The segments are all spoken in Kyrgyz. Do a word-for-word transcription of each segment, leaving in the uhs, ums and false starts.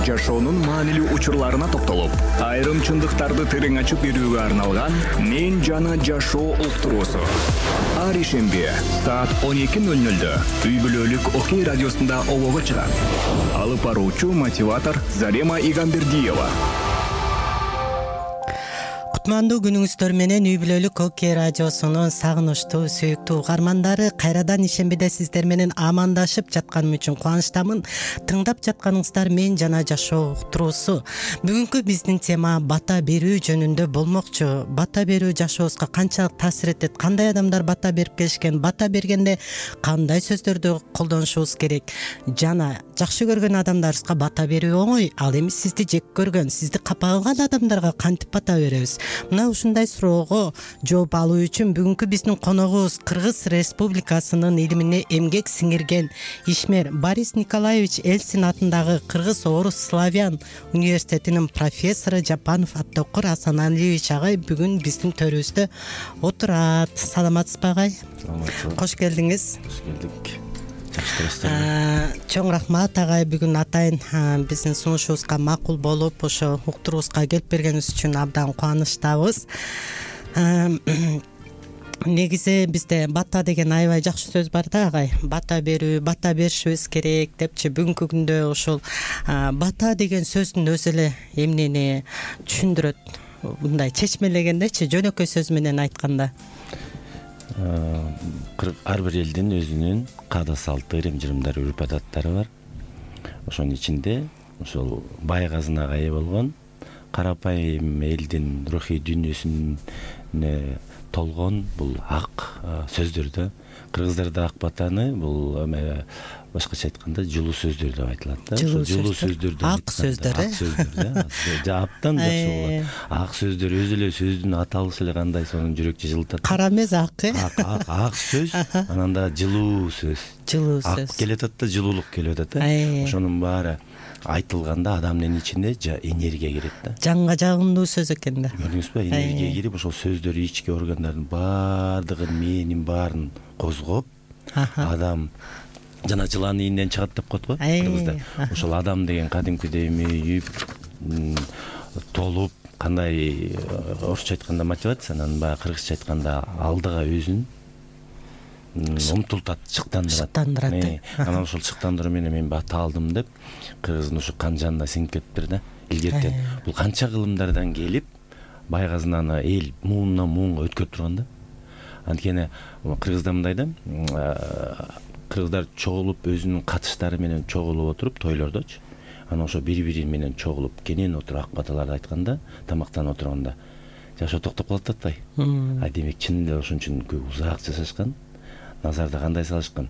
жашоонун маанилүү учурларына токтолуп, айрым чындыктарды терең ачып берүүгө арналган «Мен жана жашоо» уктуруусу. Ар ишемби саат он эки ноль нольдө үй бүлөлүк Окей радиосунда обого чыгат. Алып баруучу мотиватор Зарема Игамбердиева. Кутмандуу күнүңүздөр менен үй бүлөлүк Окей радиосунун сагынычтуу, сүйүктүү угармандары, кайрадан ишембиде сиздер менен амандашып жатканым үчүн кубанычтамын. Тыңдап жатканыңыздар «Мен жана жашоо» уктуруусу. Бүгүнкү биздин тема бата берүү жөнүндө болмокчу. Бата берүү жашообузга канчалык таасир этет? Кандай адамдар бата берип келишкен? Бата бергенде кандай сөздөрдү колдонушубуз керек? Жана жакшы көргөн адамдарыбызга бата берүү оңой. Ал эми сизди жек көргөн, сизди капа кылган адамдарга кантип бата беребиз? Мына ушундай суроого жооп алуу үчүн бүгүнкү биздин коногубуз Кыргыз Республикасынын илимине эмгек сиңирген ишмер Борис Николаевич Эльцин атындагы Кыргыз Орус Славян университетинин профессору Жапанов Абдокур Асаналиевич агай бүгүн биздин төрүбүздө отурат. Саламатсызбы агай? Саламатсызбы. Кош келдиңиз. Кош келдик. Чоң рахмат агай, бүгүн атайын биздин сунушубузга макул болуп, ошо уктуруубузга келип бергениңиз үчүн абдан кубанычтабыз. Негизи бизде бата деген аябай жакшы сөз бар да агай. Бата берүү, бата беришибиз керек депчи. Бүгүнкү күндө ошол бата деген сөздүн өзү эле эмнени түшүндүрөт? Мындай чечмелегендечи, жөнөкөй сөз менен айтканда. Ар бир элдин өзүнүн каада салты, ырым-жырымдары, үрп-адаттары бар. Ошонун ичинде ошол бай казынага ээ болгон, карапайым элдин рухий дүйнөсүнө толгон бул ак сөздөр. Кыргыздарда ак батаны бул башкача айтканда жылуу сөздөр деп айтылат да. Жылуу сөздөрдү ак сөздөр, ак сөздөр да. Абдан жакшы болот. Ак сөздөр өзү эле сөздүн аталышы эле кандай сонун жүрөкчү жылытат. Кара эмес ак, э? Ак, ак, ак сөз, анан да жылуу сөз. Жылуу сөз. Ак келип атат да, жылуулук келип атат да. Ошонун баары айтылганда адамдын ичинде энергия кирет да. Жанга жагымдуу сөз экен да. Көрдүңүзбү? Энергия кирип, ошол сөздөр ички органдардын баардыгын, мээнин баарын козгоп, адам жана жылан ийинден чыгат деп коет го кыргызда. Ошол адам деген кадимкидей мүйүп, толуп, кандай орусча айтканда мотивация, анан баягы кыргызча айтканда алдыга өзүн умтултат, шыктандырат. Шыктандырат. Анан ошол шыктандыруу менен мен бата алдым деп кыргыздын ушу кан жанына сиңип кетиптир да. Илгертен бул канча кылымдардан келип бай казынаны эл муундан муунга өткөрүп турган да. Анткени кыргызда мындай да, кыргыздар чогулуп өзүнүн катыштары менен чогулуп отуруп тойлордочу. Анан ошо бири-бири менен чогулуп кенен отуруп ак баталарды айтканда, тамактанып отурганда жашоо токтоп калат атпайбы? А демек чын эле ошон үчүн көп узак жашашкан. Назарда кандай салышкан?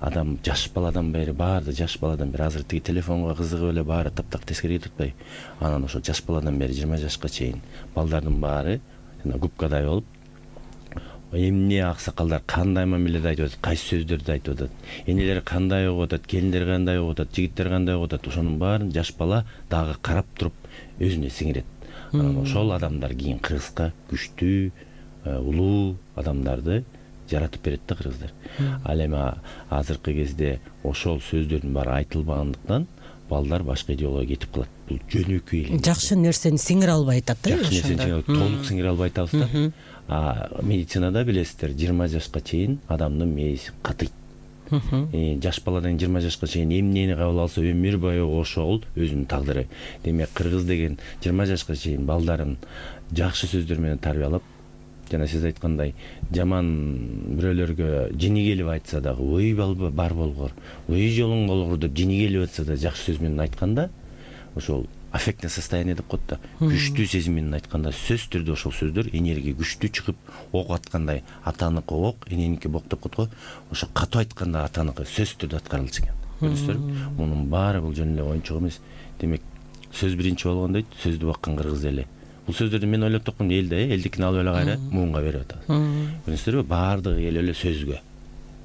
Адам жаш баладан бери, баары жаш баладан бери, азыр тиги телефонго кызыгып эле баары таптак тескери кетип атпайбы? Анан ошо жаш баладан бери жыйырма жашка чейин балдардын баары жана губкадай болуп, эмне аксакалдар кандай мамиледе айтып атат, кайсы сөздөрдү айтып атат, энелер кандай угуп атат, келиндер кандай угуп атат, жигиттер кандай угуп атат, ошонун баарын жаш бала дагы карап туруп өзүнө сиңирет. Анан ошол адамдар кийин кыргызга күчтүү, улуу адамдарды жаратып берет да кыргыздар. Ал эми азыркы кезде ошол сөздөрдүн баары айтылбагандыктан балдар башка идеологияга кетип калат. Бул жөнөкөй эле. Жакшы нерсени сиңире албай атат да. Жакшы нерсени толук сиңире албай атабыз да. А медицинада билесиздер, жыйырма жашка чейин адамдын мээси катыйт. Жаш баладан жыйырма жашка чейин эмнени кабыл алса өмүр бою ошол өзүнүн тагдыры. Демек кыргыз деген жыйырма жашка чейин балдарын жакшы сөздөр менен тарбиялап, жана сиз айткандай жаман бирөөлөргө жини келип айтса дагы ой бар болгор, ой жолуң болгор деп жини келип атса да жакшы сөз менен айтканда, ошол аффектное состояние деп коет да. Күчтүү сезим менен айтканда сөз түрдө ошол сөздөр энергия күчтүү чыгып, ок аткандай атаныкы ок, эненики бок деп коет го. Ошо катуу айтканда атаныкы сөз түрдө аткарылчу экен. Көрдүңүзбү? Мунун баары бул жөн эле оюнчук эмес. Демек сөз биринчи болгон дейт, сөздү баккан кыргыз эли. Бул сөздөрдү мен ойлоп тапкан элде, элдикин алып эле кайра муунга берип атабыз. Көрдүңүздөрбү? Баардыгы эл эле сөзгө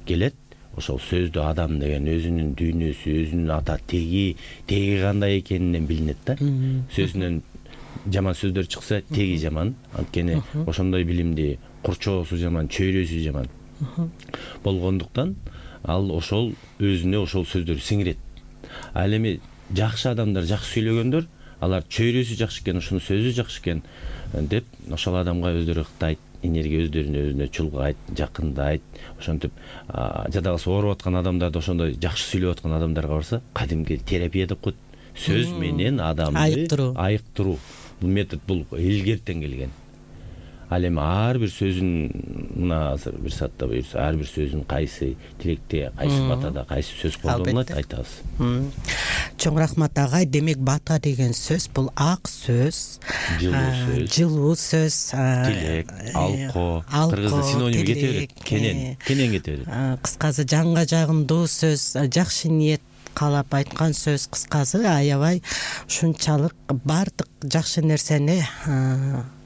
келет. Ошол сөздө адам деген өзүнүн дүйнөсү, өзүнүн ата теги, теги кандай экенинен билинет да. Сөзүнөн жаман сөздөр чыкса, теги жаман. Анткени ошондой билимди курчоосу жаман, чөйрөсү жаман болгондуктан ал ошол өзүнө ошол сөздөрдү сиңирет. Ал эми жакшы адамдар жакшы сөйлөгөндөр, алар чөйрөсү жакшы экен, ушунун сөзү жакшы экен деп ошол адамга өздөрү ыктайт, энергия өздөрүнө өзүнө чулгайт, жакындайт. Ошентип жада калса ооруп аткан адамдарды ошондой жакшы сүйлөп аткан адамдарга барса, кадимки терапия деп коет. Сөз менен адамды айыктыруу. айыктыруу. Бул метод бул илгертен келген. Ал эми ар бир сөзүн мына азыр бир саатта буюрса, ар бир сөзүн кайсы тилекте, кайсы батада, кайсы сөз колдонулат айтабыз. Чоң рахмат агай. Демек бата деген сөз бул ак сөз, жылуу сөз, тилек, алко, кыргызда синоним кете берет. Кенен, кенен кете берет. Кыскасы жанга жагымдуу сөз, жакшы ниет каалап айткан сөз, кыскасы аябай ушунчалык баардык жакшы нерсени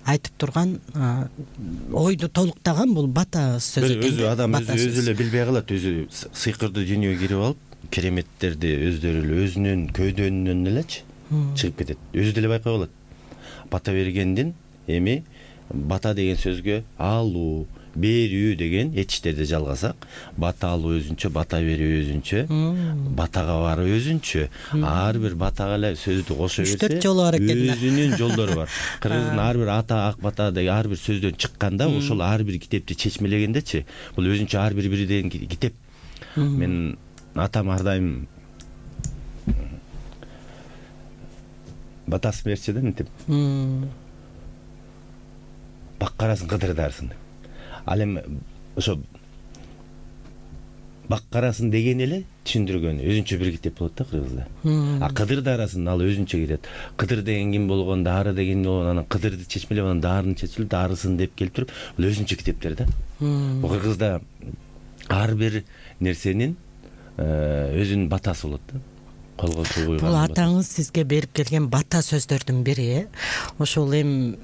айтып турган, ойду толуктаган бул бата сөзү. Өзү адам өзү эле билбей калат, өзү сыйкырдуу дүйнөгө кирип алып, кереметтерди өздөрү эле өзүнүн көөдөнүнөн элечи чыгып кетет. Өзү деле байкай калат. Бата бергендин эми бата деген сөзгө алуу, берүү деген этиштерди жалгасак, бата алуу өзүнчө, бата берүү өзүнчө, батага баруу өзүнчө. Ар бир батага эле сөздү кошо берсе, үч төрт жолу бар экен. Өзүнүн жолдору бар. Кыргыздын ар бир ата, ак бата деген ар бир сөздөн чыкканда, ошол ар бир китепти чечмелегендечи, бул өзүнчө ар бир бирден китеп. Мен атам ар дайым батасын берчи да, мынтип. Баккарасын кыдырдарсын. Ал эми ошо баккарасын деген эле түшүндүргөн өзүнчө бир китеп болот да кыргызда. А кыдыр дарасын ал өзүнчө кирет. Кыдыр деген ким болгон, дары деген болгон, анан кыдырды чечмелеп, анан дарыны чечилип, дарысын деп келип туруп, бул өзүнчө китептер да. Бул кыргызда ар бир нерсенин өзүнүн батасы болот да. Колго суу куйган. Бул атаңыз сизге берип келген бата сөздөрдүн бири. Ошол эми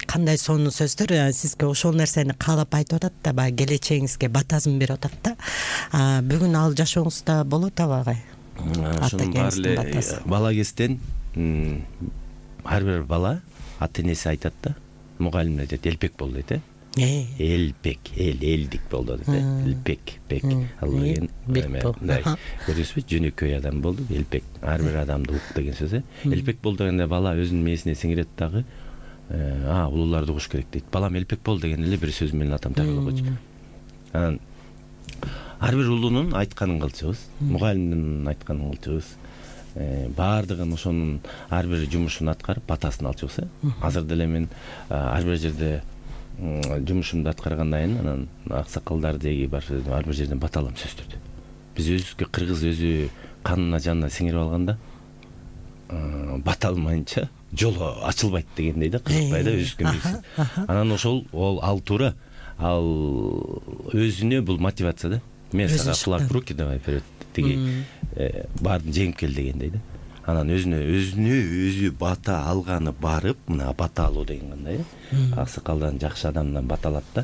кандай сонун сөздөр, сизге ошол нерсени каалап айтып атат да, баягы келечегиңизге батасын берип атат да. Бүгүн ал жашооңузда болот абагай? Ошонун баары эле бала кезден ар бир бала ата энеси айтат да, мугалим айтат, элпек бол дейт э. Элпек, эл, элдик болду дейт. Элпек, пек. Ал деген мындай көрүсүзбү, жөнөкөй адам болду, элпек. Ар бир адамды ук деген сөз э. Элпек бол дегенде бала өзүнүн мээсине сиңирет дагы, а, улууларды угуш керек дейт. Балам элпек бол деген эле бир сөз менен атам таркалып койчу. Анан ар бир улуунун айтканын кылчубуз, мугалимдин айтканын кылчубуз. Баардыгын ошонун ар бир жумушун аткарып, батасын алчубуз э. Азыр деле мен ар бир жерде жумушумду аткаргандан кийин анан аксакалдар деги бар, ар бир жерден бата алам сөздөрдү. Биз өзүбүзгө кыргыз өзү канына жанына сиңирип алганда, бата алмайынча жолу ачылбайт дегендей да, кызыкпай да өзүбүзгө билсин. Анан ошол ол ал туура, ал өзүнө бул мотивация да. Мен сага флаг в руки давай вперед, тиги баарын жеңип кел дегендей да. Анан өзүнө өзүнө өзү бата алганы барып, мына бата алуу деген кандай э? Аксакалдан, жакшы адамдан бата алат да.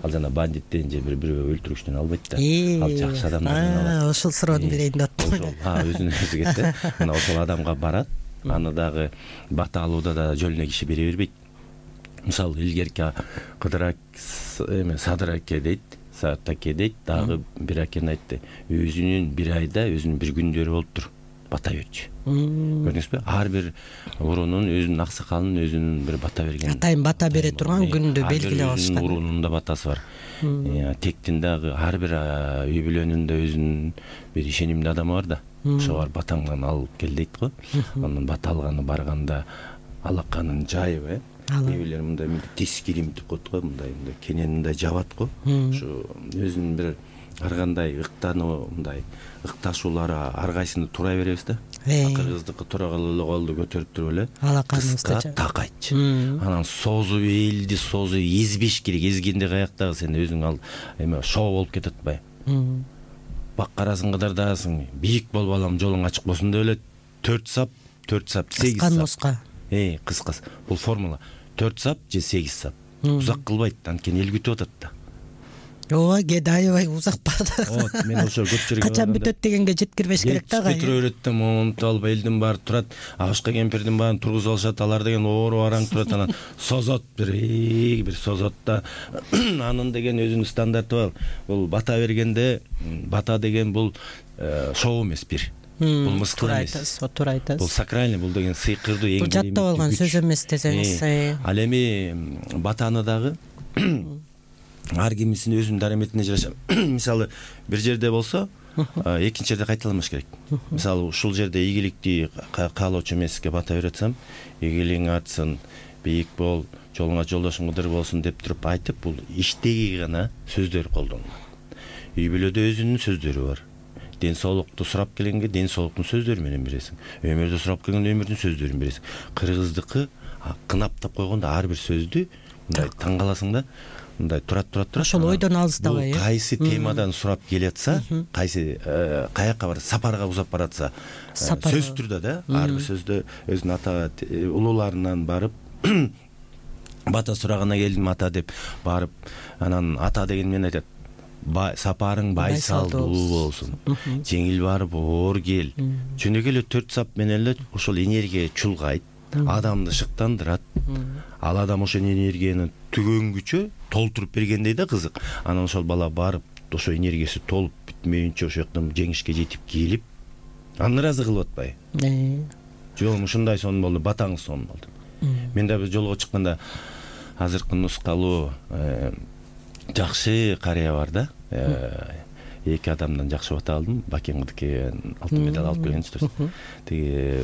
Ал жана бандиттен же бири-бирөө өлтүрүштөн албайт да. Ал жакшы адамдан алат. Ошол суроону берейин деп аттым. Ошол, а өзүнө өзү кетти. Мына ошол адамга барат. Аны дагы бата алууда да жөлүнө киши бере бербейт. Мисалы, илгерки Кыдыр эме Садыр аке дейт, Саат аке дейт, дагы бир акени айтты. Өзүнүн бир айда өзүнүн бир күндөрү болуптур. Бата берчү. Көрдүңүзбү? Ар бир уруунун өзүнүн аксакалынын өзүнүн бир бата берген. Атайын бата бере турган күндү белгилеп алышкан. Уруунун да батасы бар. Тектин дагы ар бир үй бүлөнүндө өзүнүн бир ишенимдүү адамы бар да. Ошо бар батаңдан алып кел дейт го. Анан бата алганы барганда алаканын жайып э. Үй бүлөлөр мындай тис кирим деп коет го, мындай мындай кенен мындай жабат го. Ошо өзүнүн бир ар кандай ыктануу, мындай ыкташуулары ар кайсыны турай беребиз да. Кыргыздыкы тура эле колду көтөрүп туруп эле кыска такайтчы. Анан созуп элди созуп эзбеш керек. Эзгенде каяктагы сен өзүң ал эме шоо болуп кетет атпайбы? Баккарасын кыдырдаасың, бийик бол балам, жолуң ачык болсун деп эле төрт сап, төрт сап, сегиз сап. Кыска. Э, кыскасы. Бул формула. төрт сап же сегиз сап. Узак кылбайт, анткени эл күтүп атат да. Ооба, кеде аябай узак барды. Вот, мен ошо көп жерге качан бүтөт дегенге жеткирбеш керек да. Жеткире берет да, монтуп алып элдин баары турат, абышка кемпирдин баарын тургузуп алышат, алар деген оору араң турат, анан созот бир, бир созот да. Анын деген өзүнүн стандарты бар. Бул бата бергенде, бата деген бул шоу эмес бир. бул мыскыл туура эмес. айтасыз, туура айтасыз. Бул сакральный, бул деген сыйкырдуу эң бул жаттап алган сөз эмес десеңиз. Ал эми батаны дагы ар кимисин өзүнүн дараметине жараша мисалы бир жерде болсо экинчи жерде кайталамаш керек. Мисалы ушул жерде ийгиликти каалоочу эмеске бата берип атсам, ийгилигиң артсын, бийик бол, жолуңа жолдошуң кыдыр болсун деп туруп айтып, бул иштеги гана сөздөр колдонулат. Үй бүлөдө өзүнүн сөздөрү бар. Ден соолукту сурап келгенге ден соолуктун сөздөрү менен бересиң. Өмүрдү сурап келгенде өмүрдүн сөздөрүн бересиң. Кыргыздыкы кынаптап койгондо ар бир сөздү мындай таң каласың да, мындай турат турат турат. Ошол ойдон алыстабай. Бул кайсы темадан сурап келатса, кайсы каяка бар, сапарга узап баратса, сөз түрдө да, ар бир сөздө өзүнүн ата улууларынан барып бата сурагана келдим ата деп барып, анан ата деген мен айтат, сапарың байсалдуу болсун, жеңил барып оор кел. Жөнөкөй эле төрт сап менен эле ошол энергия чулгайт, адамды шыктандырат. Ал адам ошол энергияны түгөнгүчө толтуруп бергендей да кызык. Анан ошол бала барып, ошо энергиясы толуп бүтмөйүнчө ошол жактан жеңишке жетип келип, аны ыраазы кылып атпайбы? Жок, ушундай сонун болду, батаңыз сонун болду. Мен да бир жолго чыкканда азыркы нускалуу жакшы карыя бар да. Эки адамдан жакшы бата алдым. Бакеңдики алтын медаль алып келгенчи. Тиги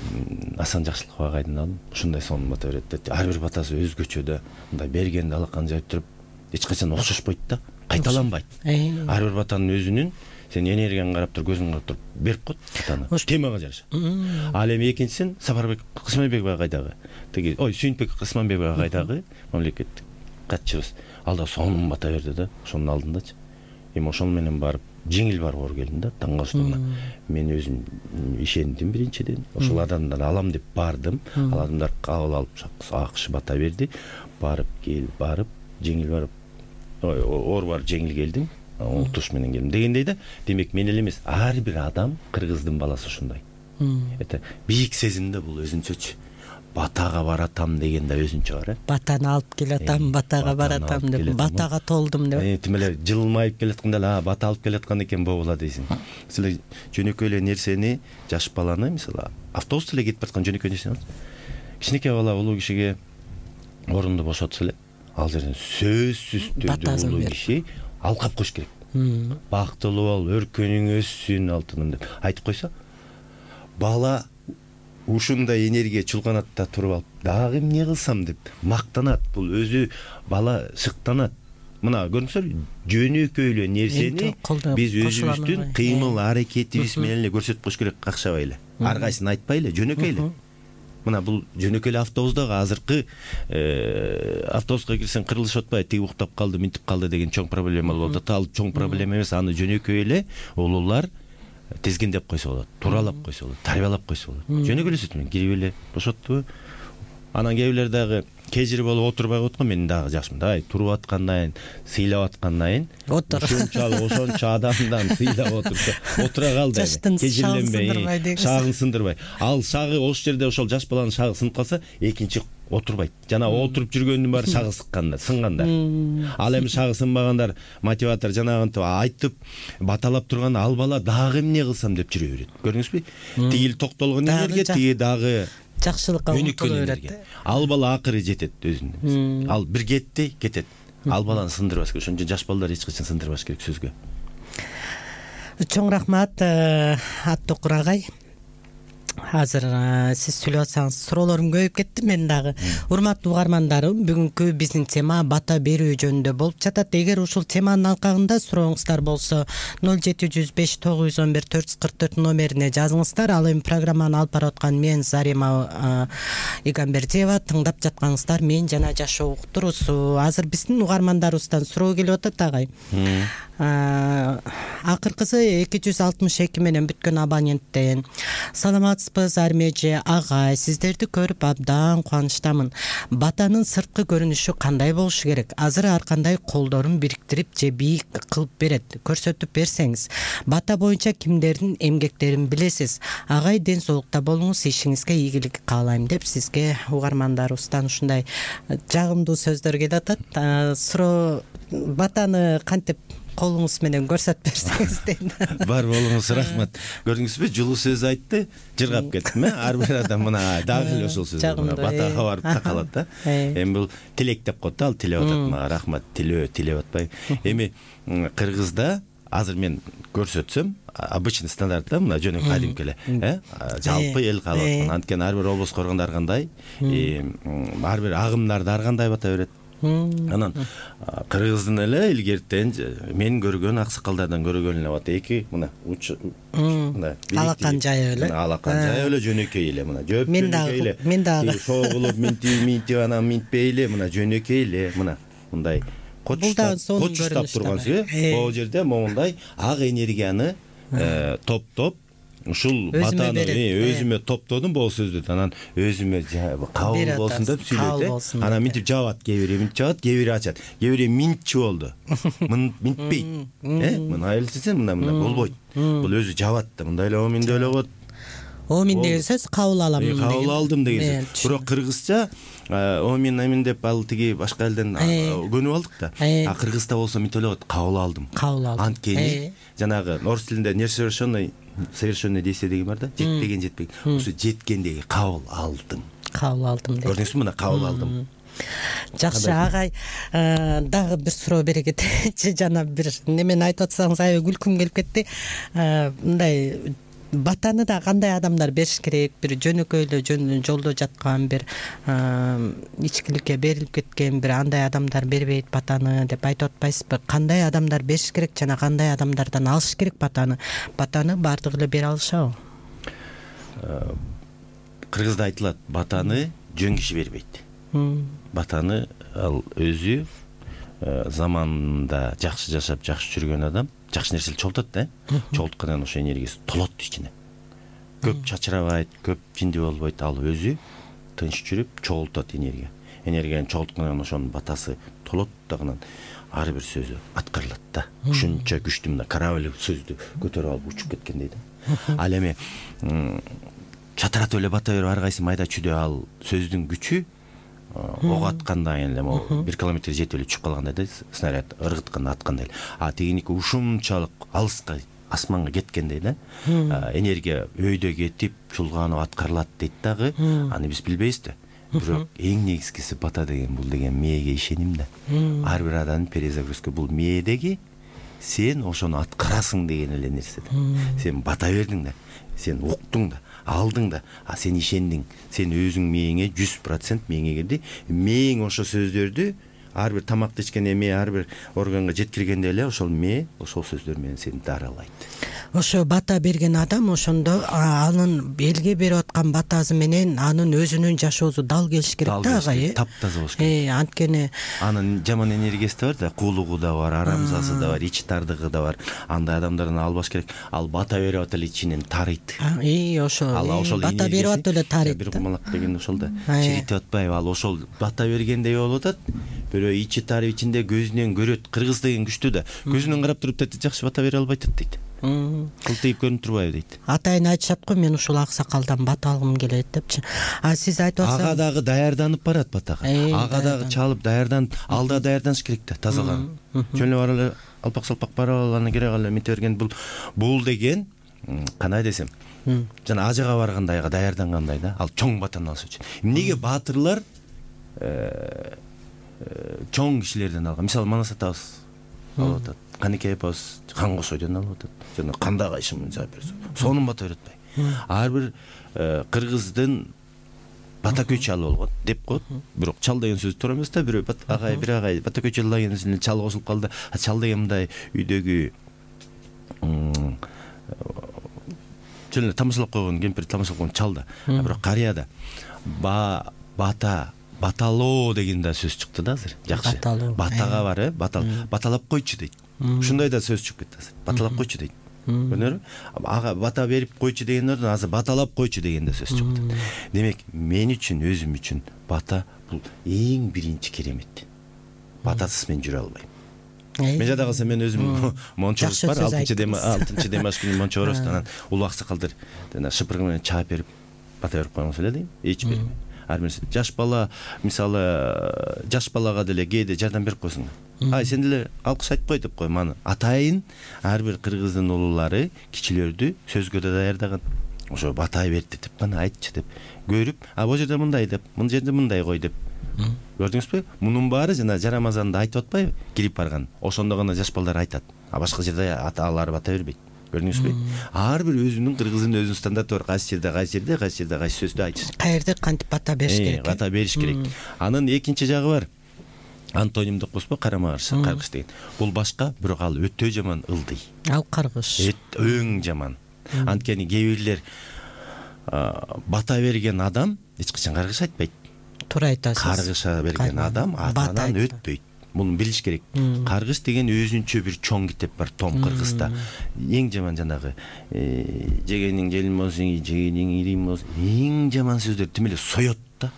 Асан Жакшылык агайдан алдым. Ушундай сонун бата берет деп. Ар бир батасы өзгөчө да. Мындай бергенде алакан жайып туруп, эч качан окшошпойт да. Кайталанбайт. Ар бир батанын өзүнүн сен энергияңа карап туруп, көзүңө карап туруп берип кой батаны. Темага жараша. Ал эми экинчисин Сапарбек Кысманбеков агайдагы. Тиги ой Сүйүнтбек Кысманбеков агайдагы мамлекеттик катчыбыз. Ал да сонун бата берди да, ошонун алдындачы. Эми ошол менен барып жеңил барып оор келдим да, таң калыштыгына. Мен өзүм ишендим биринчиден. Ошол адамдан алам деп бардым. Ал адамдар кабыл алып акш бата берди. Барып кел, барып жеңил барып, ой, оор барып жеңил келдим. Утуш менен келдим дегендей да. Демек мен эле эмес, ар бир адам, кыргыздын баласы ушундай. Это бийик сезимде бул өзүнчөчү. Батага баратам деген да өзүнчө бар, э? Батаны алып келатам, батага баратам деп, батага толдум деп. Тим эле жылмайып келатканда эле, а бата алып келаткан экен боло дейсиң. Силер жөнөкөй эле нерсени, жаш баланы, мисалы, автобуста эле кетип бараткан жөнөкөй нерсени алыңыз. Кичинекей бала улуу кишиге орунду бошотсо эле, ал жерден сөзсүз түрдө улуу киши алкап коюш керек. Бактылуу бол, өркөнүң өссүн алтыным деп айтып койсо, бала ушундай энергия чулганат да туруп алып, дагы эмне кылсам деп мактанат. Бул өзү бала шыктанат. Мына көрдүңүздөр, жөнөкөй эле нерсени биз өзүбүздүн кыймыл аракетибиз менен эле көрсөтүп коюш керек, какшабай эле. Ар кайсын айтпай эле, жөнөкөй эле. Мына бул жөнөкөй эле автобустагы азыркы автобуска кирсең кырылышып атпайбы, тиги уктап калды, минтип калды деген чоң проблема болот. Ал чоң проблема эмес, аны жөнөкөй эле улуулар тезгендеп койсо болот, тууралап койсо болот, тарбиялап койсо болот. Жөнөкөй эле сөз менен кирип эле бошотту. Анан кээ бирлер дагы кежири болуп отурбай коет го, мен дагы жакшымын. Ай, туруп аткандан кийин, сыйлап аткандан кийин, ошончалык ошончо адамдан сыйлап отурса, отура кал дейм. Кежирленбей, шагын сындырбай. Ал шагы ошол жерде ошол жаш баланын шагы сынып калса, экинчи отурбайт. Жана отуруп жүргөндүн баары шагы сыкканда, сынгандар. Ал эми шагы сынбагандар, мотиватор жанагынтип айтып, баталап турганда ал бала дагы эмне кылсам деп жүрө берет. Көрдүңүзбү? Тигил токтолгон энергия, тиги дагы жакшылыкка умтулуп берет. Ал бала акыры жетет өзүнө. Ал бир кетти, кетет. Ал баланы сындырбаш керек. Ошон үчүн жаш балдар эч качан сындырбаш керек сөзгө. Чоң рахмат, Аттокур агай. Азыр сиз сүйлөп атсаңыз суроолорум көбөйүп кетти мен дагы. Урматтуу угармандарым, бүгүнкү биздин тема бата берүү жөнүндө болуп жатат. Эгер ушул теманын алкагында сурооңуздар болсо ноль жети жүз беш тогуз жүз он бир төрт жүз кырк төрт номерине жазыңыздар. Ал эми программаны алып барып аткан мен Зарима Игамбердиева, тыңдап жатканыңыздар мен жана жашоо уктуруусу. Азыр биздин угармандарыбыздан суроо келип атат агай. Акыркысы эки жүз алтымыш эки менен бүткөн абоненттен: саламатсызбы Армежи агай, сиздерди көрүп абдан кубанычтамын. Батанын сырткы көрүнүшү кандай болушу керек? Азыр ар кандай колдорун бириктирип же бийик кылып берет, көрсөтүп берсеңиз. Бата боюнча кимдердин эмгектерин билесиз? Агай, ден соолукта болуңуз, ишиңизге ийгилик каалайм деп сизге угармандарыбыздан ушундай жагымдуу сөздөр келип атат. Суроо батаны кантип колуңуз менен көрсөтүп берсеңиз дейт. Бар болуңуз, рахмат. Көрдүңүзбү, жылуу сөз айтты, жыргап кеттим, э? Ар бир адам мына дагы эле ошол сөз мына батага барып такалат да. Эми бул тилек деп коет да, ал тилеп атат мага, рахмат, тилөө, тилеп атпайбы. Эми Кыргызда азыр мен көрсөтсөм, обычный стандарт да, мына жөнөкөй кадимки эле, э? Жалпы эл каалап аткан. Анткени ар бир облус коргондо ар кандай, ар бир агымдарда ар кандай бата берет. Анан Кыргыздын эле илгертен мен көргөн аксакалдардан көргөн эле бата эки мына мына алакан жайы эле. Алакан жайы эле жөнөкөй эле мына. Жөөп Мен дагы, мен дагы шогулуп минтип минтип анан минтпей эле мына жөнөкөй эле мына мындай кочуштап кочуштап тургансыз, э? Бул жерде моундай ак энергияны топтоп ушул батаны өзүмө топтодум бул сөздү. Анан өзүмө кабыл болсун деп сүйлөйт. Анан минтип жабат, кээ бири минтип жабат, кээ бири ачат. Кээ бири минтчи болду. Минтпейт. Э? Мына элсиз мына мына болбойт. Бул өзү жабат да, мындай эле оминде эле коет. Омин деген сөз кабыл алам деген. Кабыл алдым деген сөз. Бирок кыргызча омин амин деп ал тиги башка элден көнүп алдык да. А кыргызда болсо минтип эле коет, кабыл алдым. Кабыл алдым. Анткени жанагы орус тилинде несовершенный совершенный действие деген бар да, жетпеген жетпеген. Ошо жеткендеги кабыл алдым. Кабыл алдым деп. Көрдүңүзбү, мына кабыл алдым. Жакшы агай, дагы бир суроо бере кетечи. Жана бир немени айтып атсаңыз аябай күлкүм келип кетти. Мындай батаны да кандай адамдар бериш керек? Бир жөнөкөй эле жолдо жаткан, бир ичкиликке берилип кеткен, бир андай адамдар бербейт батаны деп айтып атпайсызбы? Кандай адамдар бериш керек жана кандай адамдардан алыш керек батаны? Батаны баардыгы эле бере алышабы? Кыргызда айтылат, батаны жөн киши бербейт. Батаны ал өзү заманында жакшы жашап, жакшы жүргөн адам жакшы нерсени чогултат да. Чогулткандан ошо энергиясы толот ичине. Көп чачырабайт, көп жинди болбойт, ал өзү тынч жүрүп чогултат энергия. Энергияны чогулткандан ошонун батасы толот дагынан ар бир сөзү аткарылат да. Ушунча күчтүү мына корабль сөздү көтөрүп алып учуп кеткендей да. Ал эми чатыратып эле бата берип ар кайсы майда чүйдө ал сөздүн күчү ок аткандай эле могу бир километр жетип эле түшүп калгандай да, снаряд ыргытканда аткандай эле. А тигиники ушунчалык алыска асманга кеткендей да. Энергия өйдө кетип чулганып аткарылат дейт дагы. Аны биз билбейбиз да. Бирок эң негизгиси бата деген бул деген мээге ишеним да. Ар бир адамдын перезагрузка бул мээдеги сен ошону аткарасың деген эле нерсе да. Сен бата бердиң да, сен уктуң да, алдың да, а сен ишендиң. Сен өзүң мээңе жүз процент мээңе кирди. Мээң ошо сөздөрдү ар бир тамакты ичкенде мээ ар бир органга жеткиргенде эле ошол мээ ошол сөздөр менен сени даралайт. Ошо бата берген адам ошондо анын элге берип аткан батасы менен анын өзүнүн жашоосу дал келиш керек да агай. Таптаза болуш керек. Э, анткени анын жаман энергиясы да бар да, куулугу да бар, арамзасы да бар, ичи тардыгы да бар. Андай адамдардан албаш керек. Ал бата берип атып эле ичинен тарыйт. И ошо бата берип атып эле тарыйт. Бир кумалак деген ошол да. Чиритип атпайбы? Ал ошол бата бергендей болуп атат. Бирөө ичи тарып ичинде көзүнөн көрөт. Кыргыз деген күчтүү да. Көзүнөн карап туруп да жакшы бата бере албайт дейт. Кылтыйып көрүнүп турбайбы дейт. Атайын айтышат го, мен ушул аксакалдан бата алгым келет депчи. А сиз айтып атсаңыз, ага дагы даярданып барат батага. Ага дагы чалып даярданып, алда даярданыш керек да, тазаланып. Жөн эле бар эле алпак салпак барып алганы керек эле мете берген бул бул деген кандай десем, жана ажыга баргандайга даярдангандай да. Ал чоң батаны алыш үчүн. Эмнеге баатырлар чоң кишилерден алган? Мисалы Манас атабыз алып атат. Канеке апабыз хан косойдон алып атат. Жана кандай кайшымын жаап берсе, сонун бата берет атпайбы? Ар бир кыргыздын бата көчү ал болгон деп коет. Бирок чал деген сөз туура эмес да. Бирөө агай бир агай бата көчү деген сөзүнө чал кошулуп калды. Чал деген мындай үйдөгү жөн эле тамашалап койгон кемпир, тамашалап койгон чал да. Бирок карыя да ба бата баталоо деген да сөз чыкты да азыр. Жакшы. Батага бар, э, батал баталап койчу дейт. Ушундай да сөз чыгып кетти азыр. Баталап койчу дейт. Көрдүңөрбү? Ага бата берип койчу дегендерден азыр баталап койчу деген да сөз чыгып кетти. Демек, мен үчүн, өзүм үчүн бата бул эң биринчи керемет. Батасыз мен жүрө албайм. Мен жада калсам мен өзүм мончобуз бар, алтынчы демаш күнү мончобуз, анан улуу аксакалдар жана шыпыргы менен чаап берип бата берип койгонсуз эле дейм. Эч бербейм. Ар бир жаш бала, мисалы, жаш балага деле кээде жардам берип койсуң. ай сен деле алкыш айтып кой деп коем. Аны атайын ар бир кыргыздын улуулары кичилердү сөзгө да даярдаган. Ошо батай берди деп, мына айтчы деп көрүп, а бул жерде мындай деп, мына жерде мындай кой деп. Көрдүңүзбү? Мунун баары жана Жарамазанда айтып атпайбы? Кирип барган. Ошондо гана жаш балдар айтат. А башка жерде аталары бата бербейт. Көрдүңүзбү? Ар бир өзүнүн кыргыздын өзүнүн стандарты бар. Кайсы жерде, кайсы жерде, кайсы жерде кайсы сөздү айтыш. Каерде кантип бата бериш керек? Бата бериш керек. Анын экинчи жагы бар. Антоним деп коесузбу? Карама каршы каргыш деген. Бул башка, бирок ал өтө жаман ылдый. Ал каргыш. Өң жаман. Анткени кээ бирлер бата берген адам эч качан каргыш айтпайт. Туура айтасыз. Каргыша берген адам атанан өтпөйт. Муну билиш керек. Каргыш деген өзүнчө бир чоң китеп бар том кыргызда. Эң жаман жанагы жегениң желим болсун, жегениң ирим болсун. Эң жаман сөздөр тим эле соёт да.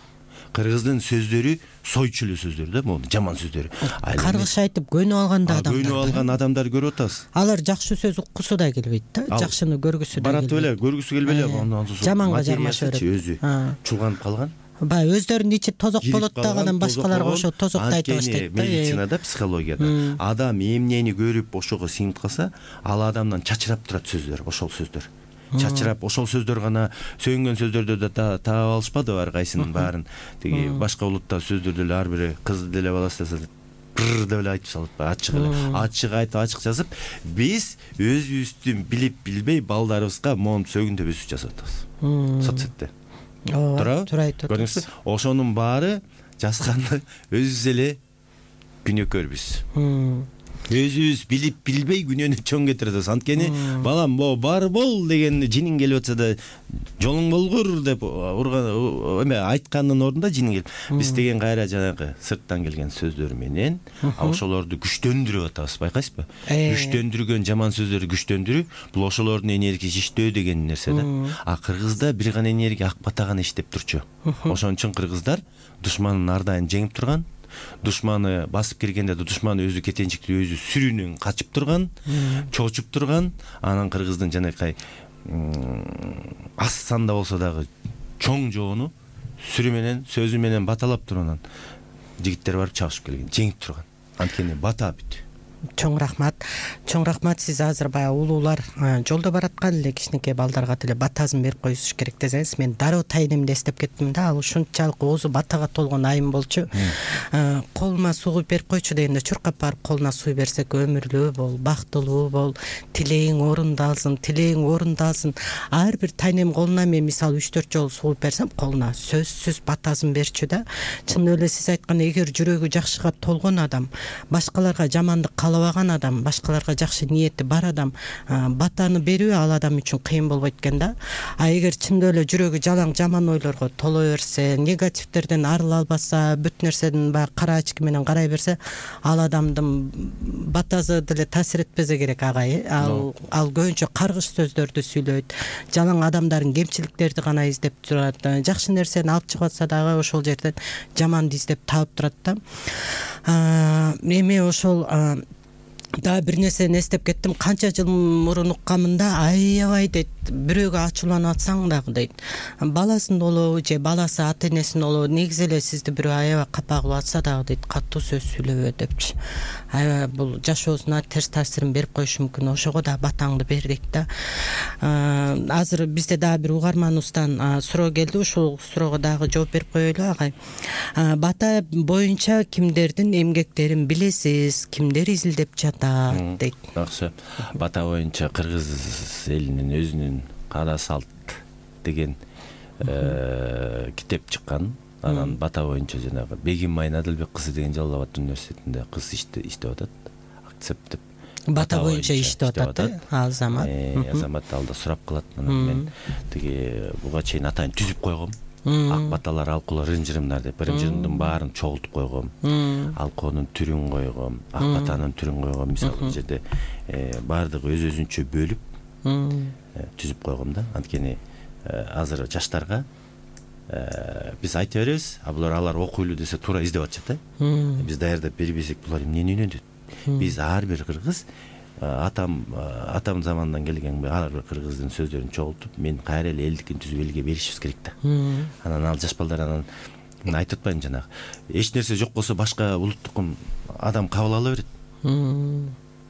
Кыргыздын сөздөрү сойчу эле сөздөр да, могу жаман сөздөр. Каргыш айтып көнүп алганда адамдар. Көнүп алган адамдар көрүп атабыз. Алар жакшы сөз уккусу да келбейт да, жакшыны көргүсү да келбейт. Баратып эле, көргүсү келбей эле, андан соң жаманга жармаша берет. Өзү чулганып калган. Баягы өзлөрүнүн ичи тозок болот дагы башкаларга ошо тозокду айтып баштайт да. Медицинада, психологияда адам эмнени көрүп ошого сиңип калса, ал адамдан чачырап турат сөздөр, ошол сөздөр. Чачырап ошол сөздөр гана сөгүнгөн сөздөрдү да таап алышпадыбы ар кайсынын баарын. Тиги башка улутта сөздөрдү эле ар бири кыз деле баласы бир деп эле айтып салат, ачык эле. Ачык айтып, ачык жазып, биз өзүбүздүн билип билбей балдарыбызга монтип сөгүндө өсүп жасап атабыз. Соцсетте. Туура, туура айтып атасыз. Ошонун баары жазганы өзүбүз эле күнөөкөрбүз. Өзүбүз билип билбей күнөөнү чоң кетирип атабыз. Анткени балам, бо бар бол деген жинин келип атса да жолуң болгур деп урган эме айткандын ордунда жинин келип. Биз деген кайра жанагы сырттан келген сөздөр менен ошолорду күчтөндүрүп атабыз, байкайсызбы? Күчтөндүргөн жаман сөздөрдү күчтөндүрүп, бул ошолордун энергиясы иштөө деген нерсе да. А кыргызда бир гана энергия ак бата гана иштеп турчу. Ошон үчүн кыргыздар душманын ар дайым жеңип турган. Душманы басып киргенде да душман өзү кетенчиктүү өзү сүрүүнөн качып турган, чочуп турган. Анан кыргыздын жанакай аз санда болсо дагы чоң жоону сүрү менен, сөзү менен баталап турган жигиттер барып чабышып келген, жеңип турган. Анткени бата бүт. Чоң рахмат. Чоң рахмат. Сиз азыр баягы улуулар жолдо бараткан эле кичинекей балдарга деле батасын берип коюш керек десеңиз, мен дароо тайнемди эстеп кеттим да. Ал ушунчалык оозу батага толгон айым болчу. Колума суу куюп берип койчу дегенде чуркап барып колуна суу берсек, өмүрлүү бол, бактылуу бол, тилеиң орундалсын, тилеиң орундалсын. Ар бир тайнем колуна мен мисалы үч төрт жолу суу куюп берсем, колуна сөзсүз батасын берчү да. Чын эле сиз айткан, эгер жүрөгү жакшыга толгон адам, башкаларга жамандык каалабаган адам, башкаларга жакшы ниети бар адам, батаны берүү ал адам үчүн кыйын болбойт экен да. А эгер чындап эле жүрөгү жалаң жаман ойлорго толо берсе, негативтерден арыла албаса, бүт нерседен баягы кара ачки менен карай берсе, ал адамдын батасы деле таасир этпесе керек агай. Ал ал көбүнчө каргыш сөздөрдү сүйлөйт, жалаң адамдардын кемчиликтерди гана издеп турат. Жакшы нерсени алып чыгып атса дагы ошол жерден жаманды издеп таап турат да. Эми ошол дагы бир нерсени эстеп кеттим. Канча жыл мурун уккамын да, аябай дейт, бирөөгө ачууланып атсаң дагы дейт, баласын болобу же баласы ата энесин болобу, негизи эле сизди бирөө аябай капа кылып атса дагы дейт, катуу сөз сүйлөбө депчи. Аябай бул жашоосуна терс таасирин берип коюшу мүмкүн. Ошого да батаңды бер дейт да. Азыр бизде дагы бир угарманыбыздан суроо келди. Ушул суроого дагы жооп берип коелу агай. Бата боюнча кимдердин эмгектерин билесиз, кимдер изилдеп жатат дейт. Жакшы. Бата боюнча кыргыз элинин өзүнүн каада салт деген китеп чыккан. Анан бата боюнча жанагы Бегим Майнадылбек кызы деген Жалал Абад университетинде кыз иштеп атат. Акцепт деп. Бата боюнча иштеп атат. Азамат. Азамат алда сурап калат. Анан мен тиги буга чейин атайын түзүп койгом. Ак баталар, алкулар, ырым-жырымдар деп ырым-жырымдын баарын чогултуп койгом. Алкоонун түрүн койгом, ак батанын түрүн койгом. Мисалы бул жерде баардыгы өз өзүнчө бөлүп түзүп койгом да. Анткени азыр жаштарга биз айта беребиз, а булар алар окуйлуу десе туура издеп атышат да. Биз даярдап бербесек булар эмнени үйрөнөт? Биз ар бир кыргыз атам атам замандан келген ар бир кыргыздын сөздөрүн чогултуп, мен кайра эле элдикин түзүп элге беришибиз керек да. Анан ал жаш балдар анан Мен айтып атпайм жанагы эч нерсе жок болсо башка улуттукун адам кабыл ала берет.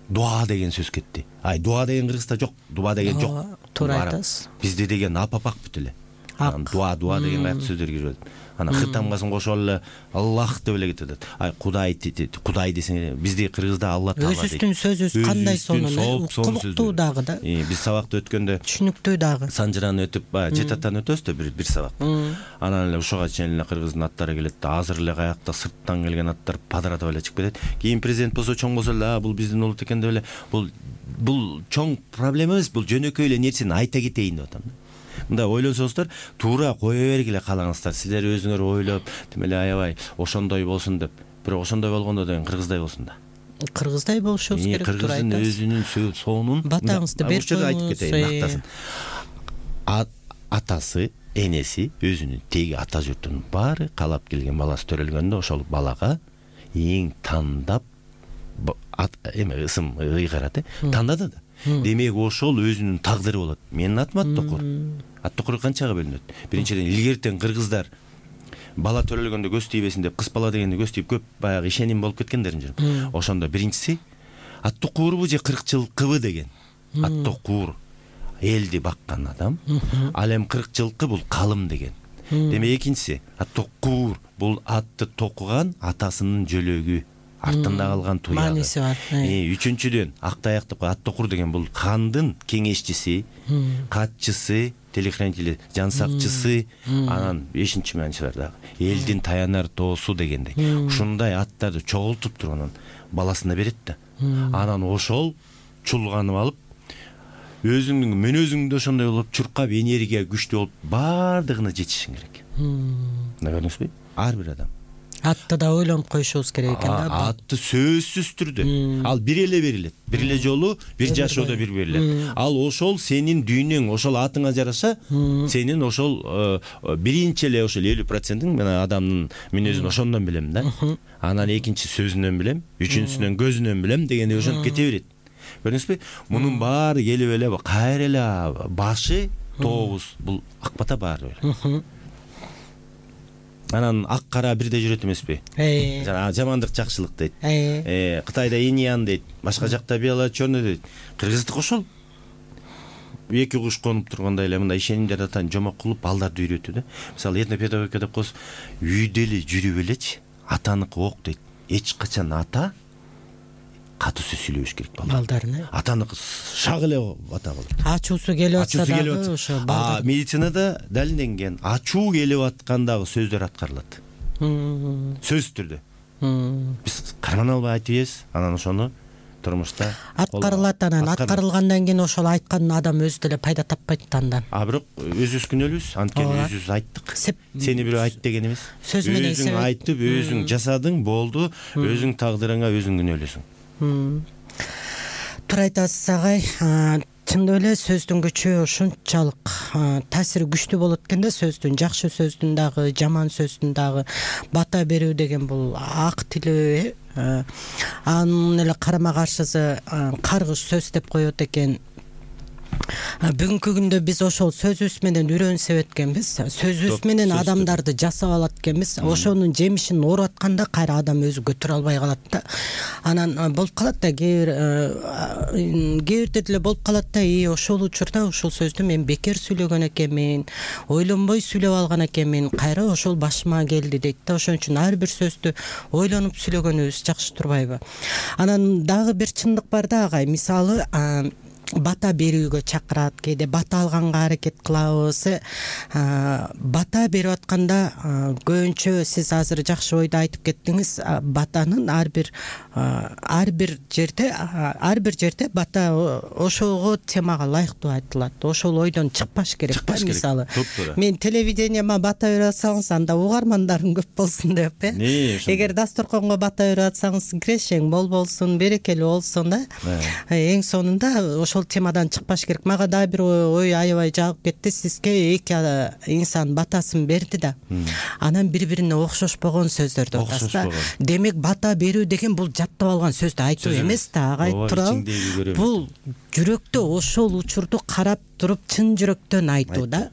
Дуа деген сөз кетти. Ай, дуа деген кыргызда жок, дуа деген жок. Туура айтасыз. Бизде деген апапак бүт эле. Анан дуа дуа деген кайсы сөздөр кирип атат. Анан хытамгасын кошуп эле Аллах деп эле кетет. Ай, Кудай Кудай десең, бизде кыргызда Алла Таала дейт. Өзүбүздүн сөзүбүз кандай сонун, укмуктуу дагы да. Биз сабакты өткөндө түшүнүктүү дагы. Санжыраны өтүп, баягы жетатан өтөбүз да бир бир сабак. Анан эле ушуга чейин эле кыргыздын аттары келет да, азыр эле каякта сырттан келген аттар падыратып эле чыгып кетет. Кийин президент болсо чоң болсо эле, а бул биздин улут экен деп эле, бул бул чоң проблема эмес, бул жөнөкөй эле нерсени айта кетейин деп атам да. Мындай ойлонсоңуздар, туура кое бергиле калаңыздар. Силер өзүңөр ойлоп, тим эле аябай ошондой болсун деп. Бирок ошондой болгондо деген кыргыздай болсун да. Кыргыздай болушубуз керек, туура айтасыз. Кыргыздын өзүнүн сонун батаңызды берип айтып кетейин, мактасын. Атасы, энеси, өзүнүн теги ата журтунун баары каалап келген баласы төрөлгөндө ошол балага эң тандап эме ысым ыйгарат, тандады да. Демек ошол өзүнүн тагдыры болот. Менин атым Аттокур. Аттокур канчага бөлүнөт? Биринчиден илгертен кыргыздар бала төрөлгөндө көз тийбесин деп, кыз бала дегенде көз тийип көп баягы ишеним болуп кеткендерин жүрүп. Ошондо биринчиси Аттокурбу же кырк жылкыбы деген. Аттокур элди баккан адам, ал эми кырк жылкы бул калым деген. Демек экинчиси Аттокур бул атты токуган атасынын жөлөгү. Артында калган туягы. Мааниси бар. Үчүнчүдөн Актаяктык Аттокур деген бул хандын кеңешчиси, катчысы, телохранители, жансакчысы, анан бешинчи мааниси бар дагы. Элдин таянар тоосу дегендей. Ушундай аттарды чогултуп туруп анан баласына берет да. Анан ошол чулганып алып, өзүңдүн мүнөзүңдө ошондой болуп, чуркап, энергия күчтүү болуп, бардыгына жетишиң керек. Мына көрдүңүзбү? Ар бир адам. Атты да ойлонуп коюшубуз керек экен да. Атты сөзсүз түрдө. Ал бир эле берилет. Бир эле жолу бир жашоодо бир берилет. Ал ошол сенин дүйнөң, ошол атыңа жараша, сенин ошол биринчи эле ошол элүү процентин мен адамдын мүнөзүн ошондон билем да. Анан экинчи сөзүнөн билем, үчүнчүсүнөн көзүнөн билем дегенде ошентип кете берет. Көрдүңүзбү? Мунун баары келип эле кайра эле башы тообуз бул ак бата баары эле. Анан ак кара бирдей жүрөт эмеспи? Жана жамандык жакшылык дейт. Э, Кытайда иньян дейт, башка жакта бело черный дейт. Кыргыздык ошол. Эки куш конуп тургандай эле мындай ишенимдерди атан жомок кылып балдарды үйрөтүү да. Мисалы этнопедагогика деп коебуз, үйдө эле жүрүп элечи, атаныкы ок дейт. Эч качан ата катуу сөз сүйлөбүш керек балдарына. Атаныкы шак эле ата болот. Ачуусу келип атса дагы ошо балдар. Медицинада далилденген, ачуу келип аткандагы сөздөр аткарылат. Сөз түрдө. Биз карман албай айтып ийбиз, анан ошону турмушта аткарылат. Анан аткарылгандан кийин ошол айткан адам өзү деле пайда таппайт да андан. А бирок өзүбүз күнөөлүүбүз, анткени өзүбүз айттык. Сени бирөө айт деген эмес. Өзүң айтып, өзүң жасадың, болду, өзүң тагдырыңа өзүң күнөөлөсүң. Туура айтасыз агай. Чындап эле сөздүн күчү ушунчалык таасири күчтүү болот экен да, сөздүн, жакшы сөздүн дагы, жаман сөздүн дагы. Бата берүү деген бул ак тилөө, анын эле карама каршысы каргыш сөз деп коет экен. Бүгүнкү күндө биз ошол сөзүбүз менен үйрөнүп эткенбиз. Сөзүбүз менен адамдарды жасап алат экенбиз. Ошонун жемишин ооруп атканда кайра адам өзү көтөрө албай калат да. Анан болуп калат да, кээ бир кээ деле болуп калат да, и ошол учурда ушул сөздү мен бекер сүйлөгөн экенмин, ойлонбой сүйлөп алган экенмин, кайра ошол башыма келди дейт да. Ошон үчүн ар бир сөздү ойлонуп сүйлөгөнүбүз жакшы турбайбы? Анан дагы бир чындык бар да агай. Мисалы бата берүүгө чакырат, кээде бата алганга аракет кылабыз. Бата берип атканда көбүнчө сиз азыр жакшы ойду айтып кеттиңиз. Батанын ар бир ар бир жерде ар бир жерде бата ошого темага ылайыктуу айтылат. Ошол ойдон чыкпаш керек. Мисалы мен телевиденияма бата берип атсаңыз, анда угармандарым көп болсун деп, э. Эгер дасторконго бата берип атсаңыз, кирешең бол болсун, берекелүү болсун да. Эң сонунда ошол темадан чыкпаш керек. Мага дагы бир ой аябай жагып кетти. Сизге эки инсан батасын берди да, анан бири-бирине окшошпогон сөздөрдү айтасыз да. Демек бата берүү деген бул жаттап алган сөздү айтуу эмес да, агай. Туурабы? Бул жүрөктө ошол учурду карап туруп чын жүрөктөн айтуу да.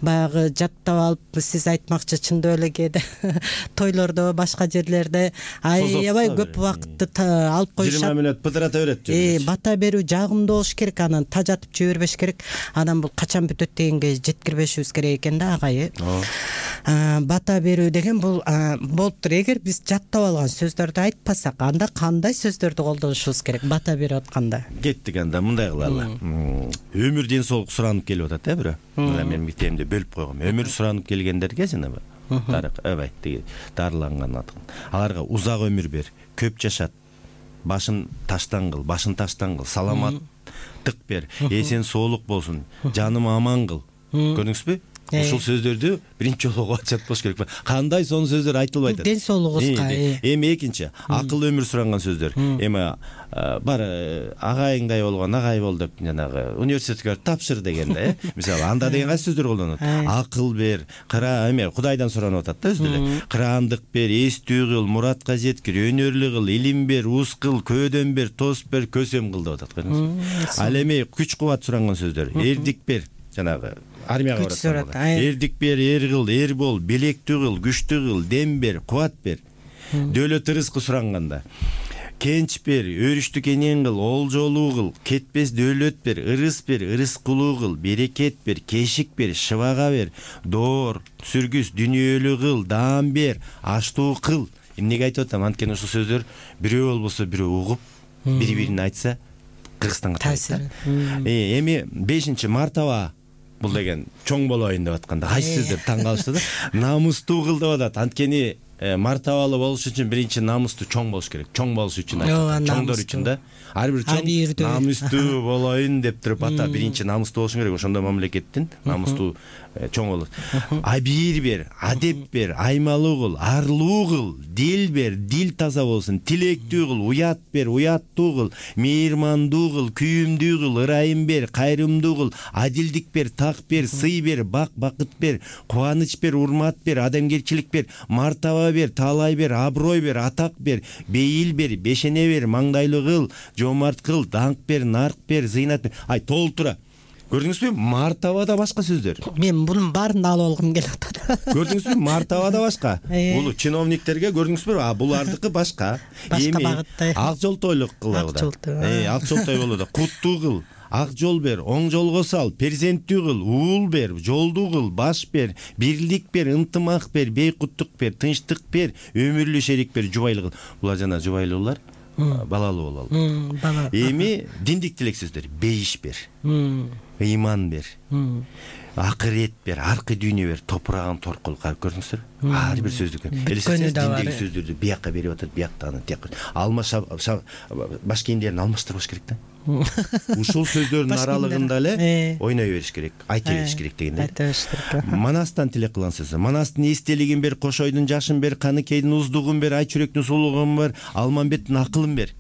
Баягы жаттап алып сиз айтмакчы чындап эле кээде тойлордо башка жерлерде аябай көп убакытты алып коюшат. жыйырма мүнөт пытырата берет. Э, бата берүү жагымдуу болуш керек, анан тажатып жибербеш керек. Анан бул качан бүтөт дегенге жеткирбешибиз керек экен да агай. Бата берүү деген бул болуптур. Эгер биз жаттап алган сөздөрдү айтпасак, анда кандай сөздөрдү колдонушубуз керек бата берип атканда? Кеттик, анда мындай кылалы. Өмүр ден соолук суранып келип атат э бирөө. Мына мен мектебимде бөлүп койгом. Өмүр суранып келгендерге жанагы тарык ебай тиги дарыланган аткан. Аларга узак өмүр бер, көп жашат, башын таштан кыл, башын таштан кыл, саламаттык бер, эсен соолук болсун, жаным аман кыл. Көрдүңүзбү? Ушул сөздөрдү биринчи жолу угуп атышат болуш керек. Кандай сонун сөздөр айтылбай атат. Ден соолугубузга. Эми экинчи, акыл өмүр суранган сөздөр. Эми бар агайыңдай болгон агай бол деп жанагы университетке тапшыр дегенде, э. Мисалы, анда деген кайсы сөздөр колдонот? Акыл бер, кыра, эме Кудайдан суранып атат да өзү эле. Кыраандык бер, эстүү кыл, muratка жеткир, өнөрлүү кыл, илим бер, уз кыл, көөдөн бер, тос бер, көсөм кыл деп атат. Ал эми күч кубат суранган сөздөр. Эрдик бер, жанагы армияга барат. Эрдик бер, эр кыл, эр бол, белектүү кыл, күчтүү кыл, дем бер, кубат бер. Дөөлөт рызкы суранганда кенч бер, өрүштү кенен кыл, олжолуу кыл, кетпес дөөлөт бер, ырыс бер, ырыскулуу кыл, берекет бер, кешик бер, шыбага бер, доор, сүргүс, дүнүйөлүү кыл, даам бер, аштуу кыл. Эмнеге айтып атам? Анткени ушул сөздөр бирөө болбосо бирөө угуп, бири-бирин айтса Кыргызстанга таасир. Эми бешинчи мартаба бул деген чоң болоюн деп атканда кайсы сөздөр таң калышты да. Намустуу кыл деп атат. Анткени мартабалуу болуш үчүн биринчи намустуу чоң болуш керек. Чоң болуш үчүн айтат. Чоңдор үчүн да. Ар бир чоң намустуу болоюн деп туруп ата биринчи намустуу болушуң керек. Ошондо мамлекеттин намустуу чоң болот. Абийир бер, адеп бер, аймалуу кыл, арлуу кыл, дил бер, дил таза болсун, тилектүү кыл, уят бер, уяттуу кыл, мейирмандуу кыл, күйүмдүү кыл, ырайым бер, кайрымдуу кыл, адилдик бер, так бер, сый бер, бак, бакыт бер, кубаныч бер, урмат бер, адамгерчилик бер, мартаба бер, таалай бер, аброй бер, атак бер, бейил бер, бешене бер, маңдайлуу кыл, жомарт кыл, даңк бер, нарк бер, зыйнат бер. Ай, толтура. Көрдүңүзбү? Мартабада башка сөздөр. Мен бунун баарын алып алгым келип атат. Көрдүңүзбү? Мартабада башка. Бул чиновниктерге көрдүңүзбү? А булардыкы башка. Башка багытта. Ак жолтойлук кылабыда. Э, ак жолтой болууда. Куттуу кыл, ак жол бер, оң жолго сал, перзенттүү кыл, уул бер, жолдуу кыл, баш бер, бирлик бер, ынтымак бер, бейкуттук бер, тынчтык бер, өмүрлүү шерик бер, жубайлуу кыл. Булар жана жубайлуулар балалуу бололу. Эми диндик тилек сөздөр. Бейиш бер, ыйман бер, акырет бер, аркы дүйнө бер, топурагын торкул. Көрдүңүздөр? Ар бир сөздүк. Элестетсеңиз диндеги сөздөрдү бияка берип атат, бияктан тияка. Алмаш баш кийимдерин алмаштырбаш керек да. Ушул сөздөрдүн аралыгында эле ойной бериш керек, айта бериш керек дегенде. Айта бериш керек. Манастан тилек кылган сөзү. Манастын эстелигин бер, кошойдун жашын бер, каныкейдин уздугун бер, ай чүрөктүн сулугун бер, алмамбеттин акылын бер.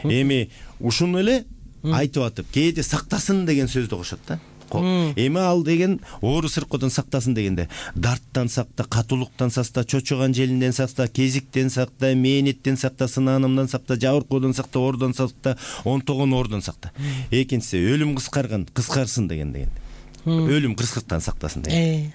Эми ушуну эле айтып атып, кээде сактасын деген сөздү кошот да. Эми ал деген оору сыркоодон сактасын дегенде, дарттан сакта, катуулуктан сакта, чочоган желинден сакта, кезиктен сакта, мээнеттен сакта, сынаанымдан сакта, жабыркоодон сакта, оордон сакта, онтогон оордон сакта. Экинчиси өлүм кыскарган, кыскарсын деген деген. Өлүм кырсыктан сактасын деген.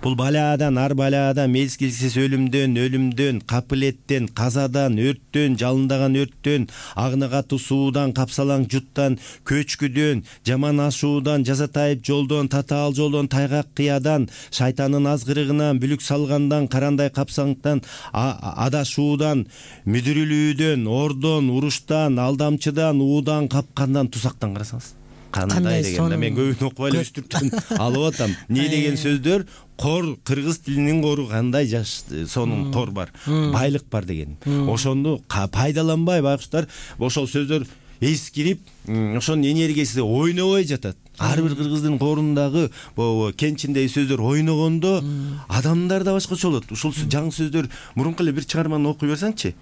Бул балаадан, ар балаадан, мезгилсиз өлүмдөн, өлүмдөн, капылеттен, казадан, өрттөн, жалындаган өрттөн, агны катуу суудан, капсалаң жуттан, көчкүдөн, жаман ашуудан, жазатайып жолдон, татаал жолдон, тайгак кыядан, шайтандын азгырыгынан, бүлүк салгандан, карандай капсаңтан, адашуудан, мүдүрүлүүдөн, ордон, уруштан, алдамчыдан, уудан, капкандан, тузактан карасаңыз. Кандай дегенде мен көбүн окубай эле үстүртөн алып атам. Не деген сөздөр? Кор, кыргыз тилинин кору кандай жаш сонун кор бар, байлык бар деген. Ошону пайдаланбай байкуштар ошол сөздөр эскирип, ошонун энергиясы ойнобой жатат. Ар бир кыргыздын корундагы бу кенчиндеги сөздөр ойногондо адамдар да башкача болот. Ушул жаңы сөздөр мурунку эле бир чыгарманы окуй берсеңчи,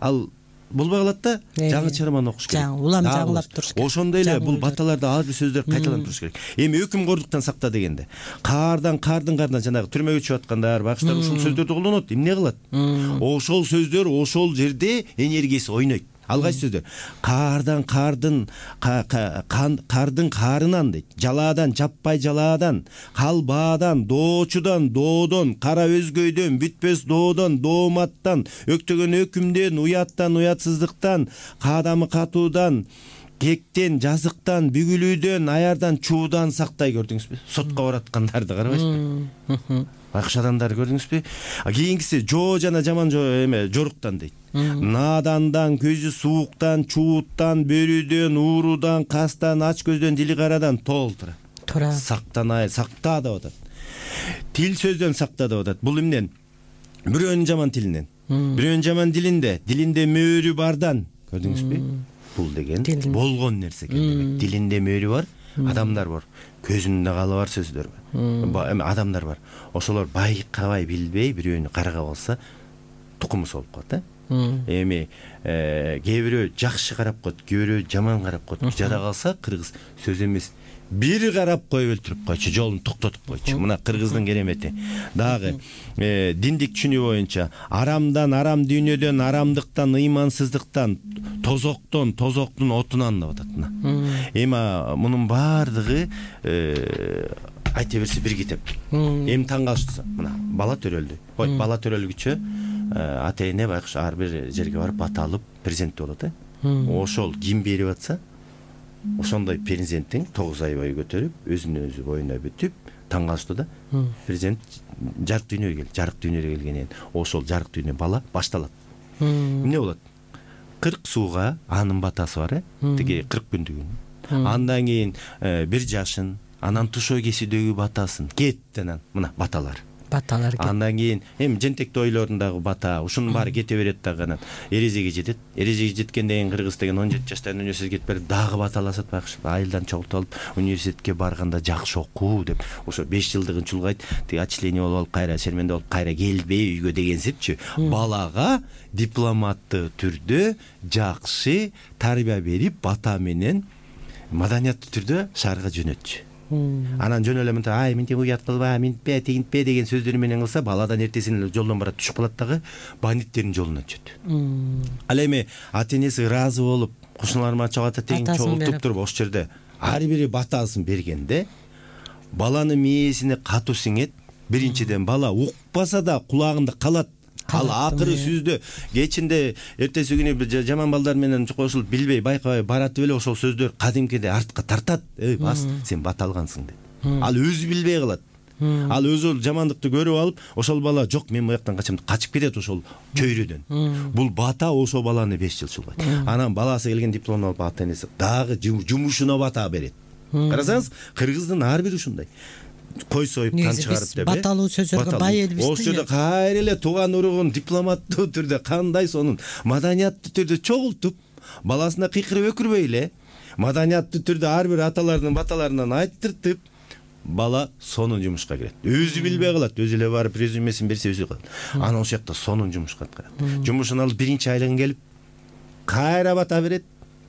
ал болбой калат да, жаңы чыгарманы окуш керек. Улам жаңылап туруш керек. Ошондой эле бул баталарда ар бир сөздөр кайталанып туруш керек. Эми өкүмкөрлүктөн сакта дегенде, каардан, кардын кардынан жанагы түрмөгө чыгып аткандар, бакыштар ушул сөздөрдү колдонот. Эмне кылат? Ошол сөздөр ошол жерде энергиясы ойнойт. ал кайсы сөздөр? Каардан кардын кардын каарынан дейт. Жалаадан жаппай жалаадан, калбаадан, доочудан, доодон, кара өзгөйдөн, бүтпөс доодон, дооматтан, өктөгөн өкүмдөн, уяттан, уятсыздыктан, каадамы катуудан, кектен, жазыктан, бүгүлүүдөн, аярдан, чуудан сактай. Көрдүңүзбү? Сотко бараткандарды карабайсызбы? Байкуш адамдарды көрдүңүзбү? Кийинкиси жоо жана жаман жоо эме жоруктан дейт. Наадандан, көзү сууктан, чууттан, бөрүдөн, уурудан, кастан, ач көздөн, дили карадан толтура. Тура. Сактанай, сакта деп атат. Тил сөздөн сакта деп атат. Бул эмнен? Бирөөнүн жаман тилинен. Бирөөнүн жаман дилинде, дилинде мөөрү бардан. Көрдүңүзбү? Бул деген болгон нерсе экен демек. Дилинде мөөрү бар, адамдар бар. Көзүндө калы бар сөздөр бар. Эми адамдар бар. Ошолор байкабай билбей бирөөнү каргап алса, тукуму солуп калат, э? Эми кээ бирөө жакшы карап коет, кээ бирөө жаман карап коет. Жада калса кыргыз сөз эмес, бир карап коюп өлтүрүп койчу, жолун токтотуп койчу. Мына кыргыздын керемети. Дагы диндик түшүнүү боюнча арамдан, арам дүйнөдөн, арамдыктан, ыймансыздыктан, тозоктон, тозоктун отунан деп атат. Эми мунун баардыгы айта берсе бир китеп. Эми таң калыштысы. Мына бала төрөлдү. Ой, бала төрөлгүчө ата эне байкуш ар бир жерге барып бата алып презент болот, э? Ошол ким берип атса, ошондой перзенттин тогуз ай бою көтөрүп, өзүнө өзү боюна бүтүп, таң калышты да. Презент жарык дүйнөгө келди. Жарык дүйнөгө келгенен ошол жарык дүйнө бала башталат. Эмне болот? кырк сууга анын батасы бар, э? Тиги кырк күндүгүн. Андан кийин бир жашын, анан тушоо кесүүдөгү батасын, кеттен мына баталар. Баталар. Андан кийин эми жентек тойлорундагы бата, ушунун баары кете берет дагы. Анан эрезеге жетет. Эрезеге жеткенден кийин кыргыз деген он жети жаштан университетке кетип берип дагы баталашат байкуш. Айылдан чогултуп алып, университетке барганда жакшы окуу деп, ошо беш жылдыгын чулгайт. Тиги отчление болуп алып, кайра шерменде болуп, кайра келбей үйгө дегенсипчи. Балага дипломаттуу түрдө жакшы тарбия берип, бата менен маданияттуу түрдө шаарга жөнөтчү. Анан жөн эле мынтип ай мынтип уят кылба, минтпе, тигинтпе деген сөздөр менен кылса, баладан эртесин эле жолдон барат түшүп калат дагы, бандиттердин жолуна түшөт. Ал эми ата энеси ыраазы болуп, кушуналарыма чогата тең чогултуп туруп, ошол жерде ар бири батасын бергенде, баланын мээсине катуу сиңет. Биринчиден бала укпаса да кулагында калат. Ал акыры сүздө кечинде эртеси күнү жаман балдар менен кошулуп билбей байкабай баратып эле ошол сөздөр кадимкиде артка тартат. Эй, бас, сен бата алгансың деп. Ал өзү билбей калат. Ал өзү жамандыкты көрүп алып, ошол бала жок, мен буяктан качам деп качып кетет ошол чөйрөдөн. Бул бата ошол баланы беш жыл чулгайт. Анан баласы келген дипломду алып ата энеси дагы жумушуна бата берет. Карасаңыз, кыргыздын ар бири ушундай. Кой союп кан чыгарып деп. Баталуу сөзгө бай элбиз. Ошол жерде кайра эле тууган уругун дипломаттуу түрдө кандай сонун маданияттуу түрдө чогултуп, баласына кыйкырып өкүрбөй эле маданияттуу түрдө ар бир аталардын баталарынан айттыртып, бала сонун жумушка кирет. Өзү билбей калат, өзү эле барып резюмесин берсе өзү калат. Анан ошол жакта сонун жумушка аткарат. Жумушун алып биринчи айлыгын келип кайра бата берет.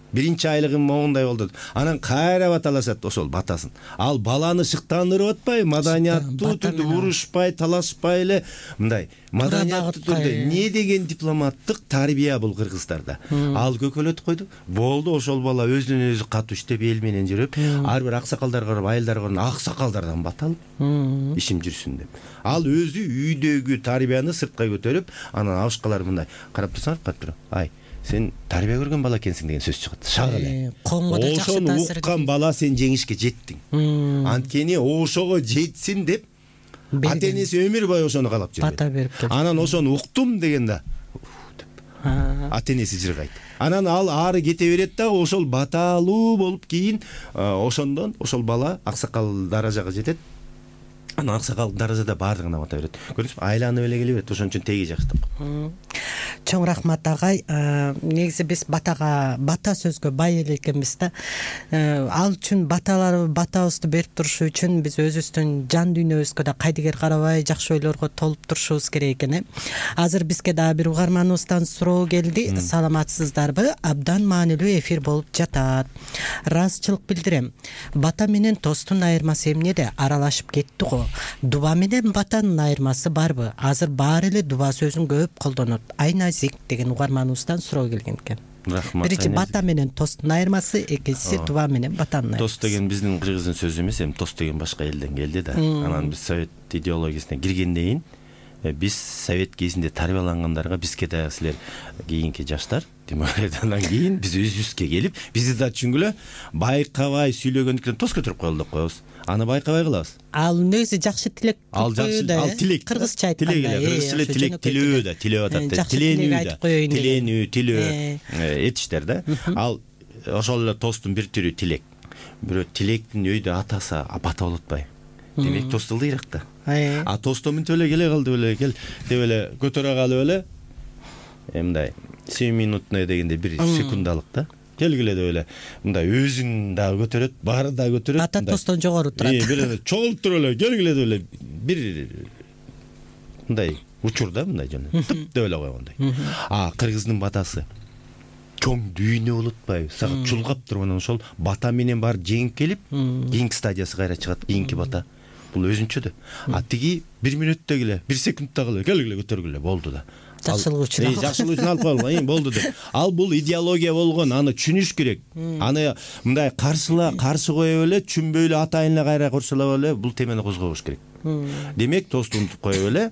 Биринчи айлыгым моундай болду. Анан кайра баталашат ошол батасын. Ал баланы шыктандырып атпайбы, маданияттуу түрдө урушпай, талашпай эле мындай маданияттуу түрдө не деген дипломаттык тарбия бул кыргыздарда. Ал көкөлөтүп койду. Болду, ошол бала өзүнөн өзү катуу иштеп эл менен жүрүп, ар бир аксакалдарга барып, айылдарга барып, аксакалдардан бата алып, ишим жүрсүн деп. Ал өзү үйдөгү тарбияны сыртка көтөрүп, анан абышкалар мындай карап турсаңар, карап туруп, ай сен тарбия көргөн бала экенсиң деген сөз чыгат. Шак эле. Ошону уккан бала сен жеңишке жеттиң. Анткени ошого жетсин деп ата энеси өмүр бою ошону каалап жүрөт. Бата берип келди. Анан ошону уктум дегенде ата энеси жыргайт. Анан ал ары кете берет да, ошол баталуу болуп кийин ошондон ошол бала аксакал даражага жетет. Анан аксакал даражада баардыгына бата берет. Көрдүңүзбү? Айланып эле келе берет. Ошон үчүн теги жакшы. Чоң рахмат агай. Негизи биз батага, бата сөзгө бай эле экенбиз да. Ал үчүн баталар батабызды берип туруш үчүн биз өзүбүздүн жан дүйнөбүзгө да кайдыгер карабай жакшы ойлорго толуп турушубуз керек экен, э. Азыр бизге дагы бир угарманыбыздан суроо келди. Саламатсыздарбы? Абдан маанилүү эфир болуп жатат. Ыраазычылык билдирем. Бата менен тостун айырмасы эмнеде? Аралашып кетти го. Дуба менен батанын айырмасы барбы? Азыр баары эле дуба сөзүн көп колдонот. Айназик деген угарманыбыздан суроо келген экен. Рахмат. Биринчи бата менен тосттун айырмасы, экинчиси туба менен батанын айырмасы. Тост деген биздин кыргыздын сөзү эмес, эми тост деген башка элден келди да. Анан биз совет идеологиясына киргенден кийин биз совет кезинде тарбиялангандарга бизге дагы силер кийинки жаштар андан кийин биз өзүбүзгө келип, бизди да түшүнгүлө, байкабай сүйлөгөндүктөн тост көтөрүп коелу деп коебуз. Аны байкабай кылабыз. Ал негизи жакшы тилек. Ал жакшы, ал тилек. Кыргызча айтканда, кыргызча эле тилек, тилөө да, тилеп атат да. Тиленүү да, тиленүү, тилөө этиштер да. Ал ошол эле тосттун бир түрү тилек. Бирөө тилектин өйдө атасы бата болуп атпайбы? Демек тост ылдыйраак да. А тосто мынтип эле келе калды эле, кел деп эле көтөрө калып эле мындай семь минутный дегенде бир секундалык да. Келгиле деп эле мындай өзүн дагы көтөрөт, баары дагы көтөрөт. Бата тостон жогору турат. Э, бир чогулуп туруп эле келгиле деп эле бир мындай учур да, мындай жана тып деп эле койгондой. А кыргыздын батасы чоң дүйнө болуп атпайбы? Сага чулгап туруп анан ошол бата менен баары жеңип келип, кийинки стадиясы кайра чыгат, кийинки бата. Бул өзүнчө да. А тиги бир минутта эле, бир секундта эле келгиле көтөргүлө болду да. Жакшылык үчүн. Жакшылык үчүн алып коелу, эми болду деп. Ал бул идеология болгон, аны түшүнүш керек. Аны мындай каршыла, каршы коюп эле, түшүнбөй эле атайын эле кайра курсалап эле бул темени козгобош керек. Демек, тосту унутуп коюп эле.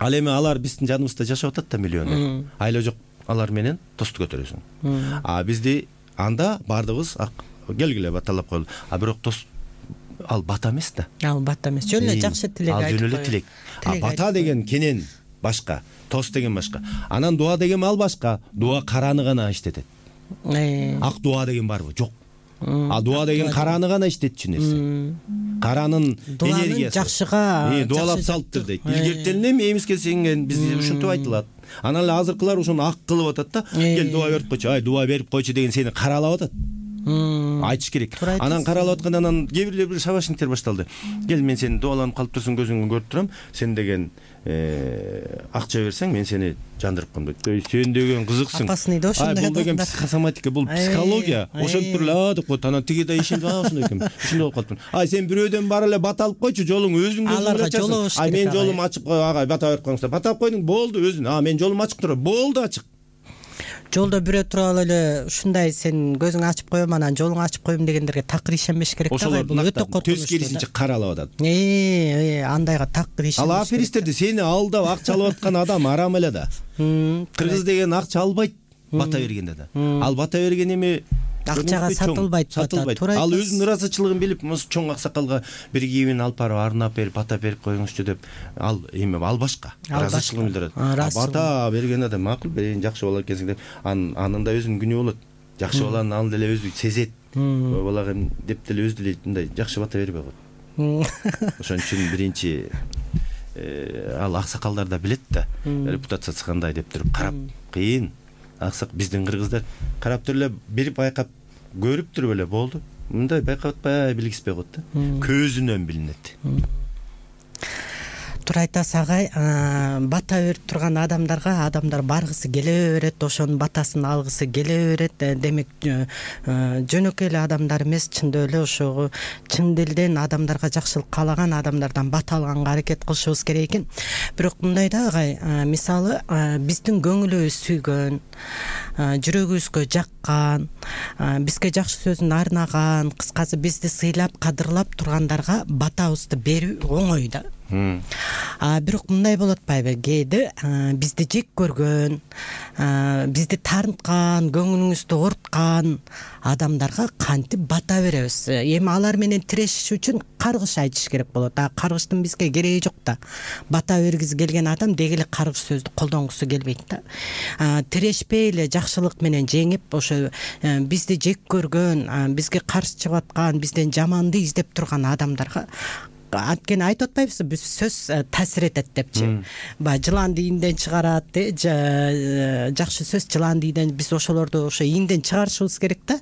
Ал эми алар биздин жаныбызда жашап атат да миллионер. Айла жок, алар менен тосту көтөрөсүң. А бизди анда баардыгыбыз келгиле баталап коелу. А бирок тост ал бата эмес да. Ал бата эмес. Жөн эле жакшы тилек айтып. Ал жөн эле тилек. А бата деген кенен башка, тост деген башка. Анан дуа деген ал башка. Дуа караны гана иштетет. Ак дуа деген барбы? Жок. А дуа деген караны гана иштетчү нерсе. Каранын энергиясы. Жакшыга дуалап салыптыр дейт. Илгертен эми эмиске сенген бизде ушинтип айтылат. Анан эле азыркылар ошону ак кылып атат да. Кел дуа берип койчу, ай дуа берип койчу деген сени каралап атат. Айтыш керек. Анан каралып атканда анан кээ бирлер бир шабашниктер башталды. Кел, мен сени дуаланып калып турсуң, көзүңдү көрүп турам. Сен деген акча берсең, мен сени жандырып коем дейт. Сен деген кызыксың. Опасный да ошондой. Бул деген психосоматика, бул психология. Ошентип туруп эле деп койт. Анан тиги да ишенип, а ошондой экен. Ушундай болуп калыптыр. Ай, сен бирөөдөн бара эле бата алып койчу, жолуң өзүң өзүң ачасың. Ай, мен жолум ачык кой, ага, бата берип коюңуздар. Бата алып койдуң, болду өзүң. А, мен жолум ачык туруп, болду ачык. Жолдо бирөө туруп алып эле ушундай сен көзүңдү ачып коем, анан жолуңду ачып коем дегендерге такыр ишенбеш керек да. Ошолор өтө коркунучтуу. Төс керисинче каралап атат. Э, андайга такыр ишенбеш. Ал аферисттерди сени алдап акча алып аткан адам арам эле да. Кыргыз деген акча албайт бата бергенде да. Ал бата берген эми акчага сатылбайт, сатылбайт. Ал өзүнүн ырасачылыгын билип, чоң аксакалга бир кийимин алып барып арнап берип, бата берип коюңузчу деп, ал эми ал башка. Ырасачылыгын билдирет. Бата берген адам макул, берейин, жакшы болот экенсиң деп, анын да өзүнүн күнү болот. Жакшы баланы ал деле өзү сезет. Ой балага деп деле өзү деле мындай жакшы бата бербей коет. Ошон үчүн биринчи ал аксакалдар да билет да, репутациясы кандай деп туруп карап, кыйын. Аксак биздин кыргыздар карап туруп эле берип байкап көрүп туруп эле болду. Мындай байкап атпай билгиспей коет да. Көзүнөн билинет. Туура айтасыз агай, бата берип турган адамдарга адамдар баргысы келе берет, ошонун батасын алгысы келе берет. Демек жөнөкөй эле адамдар эмес, чындап эле ошого чын дилден адамдарга жакшылык каалаган адамдардан бата алганга аракет кылышыбыз керек экен. Бирок мындай да агай, мисалы биздин көңүлүбүз сүйгөн, жүрөгүбүзгө жаккан, бизге жакшы сөзүн арнаган, кыскасы бизди сыйлап, кадырлап тургандарга батабызды берүү оңой да. А бирок мындай болот атпайбы? Кээде бизди жек көргөн, бизди тарткан, көңүлүңүздү ооруткан адамдарга кантип бата беребиз? Эми алар менен тирешиш үчүн каргыш айтыш керек болот. А каргыштын бизге кереги жок да. Бата бергиси келген адам деги эле каргыш сөздү колдонгусу келбейт да. Тирешпей эле жакшылык менен жеңип, ошо бизди жек көргөн, бизге каршы чыгып аткан, бизден жаманды издеп турган адамдарга анткени айтып атпайбызбы, биз сөз таасир этет депчи. Баягы жыланды ийинден чыгарат, жакшы сөз жыланды ийинден, биз ошолорду ошо ийинден чыгарышыбыз керек да.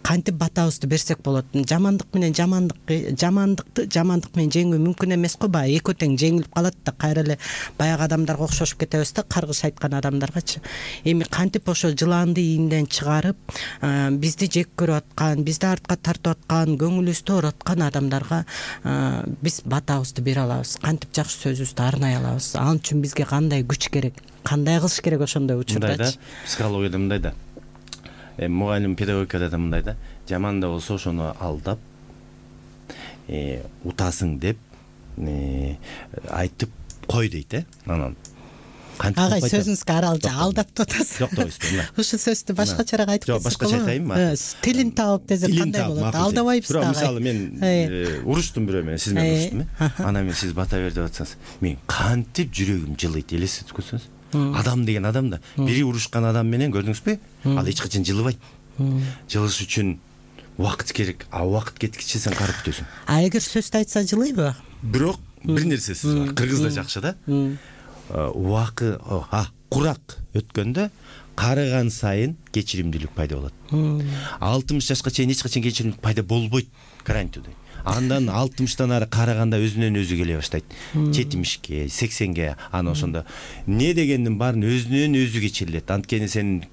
Кантип батабызды берсек болот? Жамандык менен жамандык, жамандыкты жамандык менен жеңүү мүмкүн эмес го, баягы экөө тең жеңилип калат да. Кайра эле баягы адамдарга окшошуп кетебиз да, каргыш айткан адамдаргачы. Эми кантип ошо жыланды ийинден чыгарып, бизди жек көрүп аткан, бизди артка тартып аткан, көңүлүбүздү ооруткан адамдарга биз батабызды бере алабыз, кантип жакшы сөзүбүздү арнай алабыз? Ал үчүн бизге кандай күч керек, кандай кылыш керек ошондой учурдачы? Психологияда мындай да. мугалим педагогикада да мындай да, жаман да болсо ошону алдап утасың деп айтып кой дейт э. Анан агай сөзүңүзгө аралча алдап атасыз. Жок дейсизби? Ушул сөздү башкачараак айтып кетсеңиз. Жок, башкача айтайынбы? Тилин таап десем кандай болот? Алдабайбыз да. Мисалы мен уруштум бирөө менен, сиз менен уруштум э. Анан мен сиз бата бер деп атсаңыз, мен кантип жүрөгүм жылыйт, элестетип көрсөңүз. Адам деген адам да. Бири урушкан адам менен көрдүңүзбү? Ал эч качан жылыбайт. Жылыш үчүн убакыт керек, а убакыт кеткиче сен карап күтөсүң. А эгер сөздү айтса жылыйбы? Бирок бир нерсеси бар. Кыргызда жакшы да. Убакыт а курак өткөндө карыган сайын кечиримдүүлүк пайда болот. алтымыш жашка чейин эч качан кечиримдүүлүк пайда болбойт, гарантия. Андан алтымыштан ары караганда өзүнөн өзү келе баштайт. жетимишке, сексенге, ана ошондо не дегендин баарын өзүнөн өзү кечирилет. Анткени сен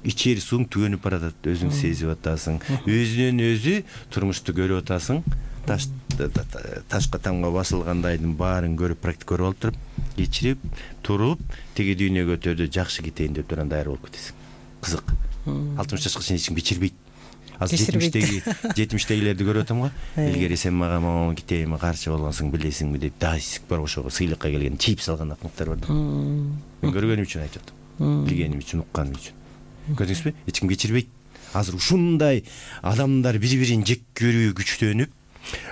ичери суң түгөнүп баратат, өзүң сезип атасың. Өзүнөн өзү турмушту көрүп атасың. Таш ташка тамга басылгандайдын баарын көрүп, практика көрүп алып туруп, кечирип, туруп, тиги дүйнөгө өтөдө жакшы кетейин деп турган даяр болуп кетесиң. Кызык. алтымыш жашка чейин эч ким кечирбейт. Азыр жетимиштеги жетимиштегилерди көрүп атам го. Илгери сен мага могу кетейинби, каршы болгонсуң, билесиңби деп дайсик бар ошого сыйлыкка келген чип салган акмактар бар да. Мен көргөнүм үчүн айтып атам. Билгеним үчүн, укканым үчүн. Көрдүңүзбү? Эч ким кечирбейт. Азыр ушундай адамдар бири-бирин жек көрүү күчтөнүп,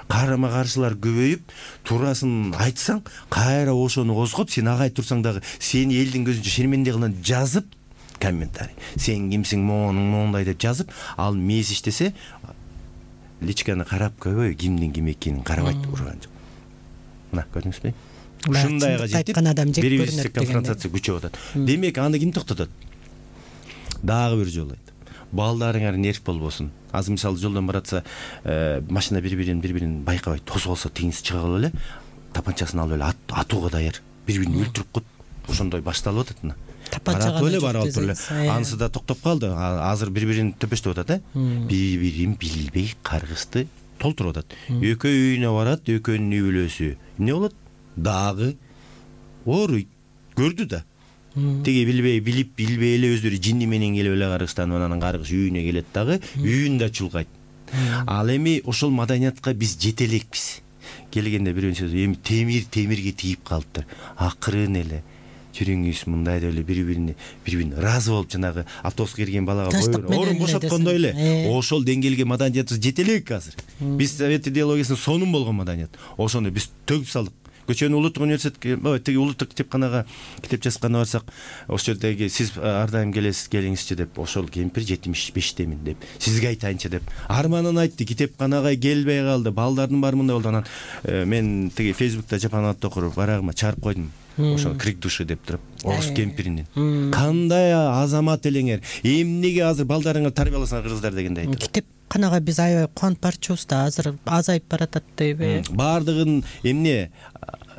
карама каршылар көбөйүп, туурасын айтсаң, кайра ошону козгоп, сен ага айтып турсаң дагы сени элдин көзүнчө шерменде кылган жазып, комментарий. Сен кимсиң, моунуң моундай деп жазып, ал мес иштесе, личканы карап көбөй, кимдин ким экенин карабайт, урган жок. Мына, көрдүңүзбү? Ушундайга жетип, бири-бирибизге конфронтация күчөп атат. Демек, аны ким токтотот? Дагы бир жолу айтып, балдарыңар нерв болбосун. Азыр мисалы жолдон баратса, машина бири-бирин бири-бирин байкабайт, тосуп алса тегиниз чыга калып эле, тапанчасын алып эле атууга даяр, бири-бирин өлтүрүп коет. Ошондой башталып атат мына. Баратып эле барып туруп эле. Анысы да токтоп калды. Азыр бири-бирин төпөштөп атат, э? Бири-бирин билбей каргышты толтуруп атат. Экөө үйүнө барат, экөөнүн үй бүлөсү. Эмне болот? Дагы ооруйт. Көрдү да. Теги билбей, билип, билбей эле өздөрү жинни менен келип эле каргыштан, анан каргыш үйүнө келет дагы, үйүн да чулгайт. Ал эми ошол маданиятка биз жете элекпиз. Келгенде бирөө сөз, эми темир темирге тийип калыптыр. Акырын эле жүрүңүз мындай деп эле бири-бирине бири-бирин ыраазы болуп, жанагы автобуска кирген балага орун бошоткондой эле ошол деңгээлге маданиятыбыз жете элек азыр. Биз совет идеологиясынын сонун болгон маданият. Ошону биз төгүп салдык. Көчөнүн улуттук университетке, тиги улуттук китепканага китеп жазганы барсак, ошол жердеги сиз ар дайым келесиз, келиңизчи деп, ошол кемпир жетимиш бештемин деп, сизге айтайынчы деп, арманын айтты, китепканага келбей калды, балдардын баары мындай болду. Анан мен тиги Фейсбукта жапанатты окуруп, барагыма чарып койдум. Ошол крик души деп туруп, орус кемпиринин. Кандай азамат элеңер, эмнеге азыр балдарыңар тарбияласаңар кыргыздар дегенде айтат. Китепканага биз аябай кубанып барчубуз да, азыр азайып баратат дейби. Баардыгын эмне?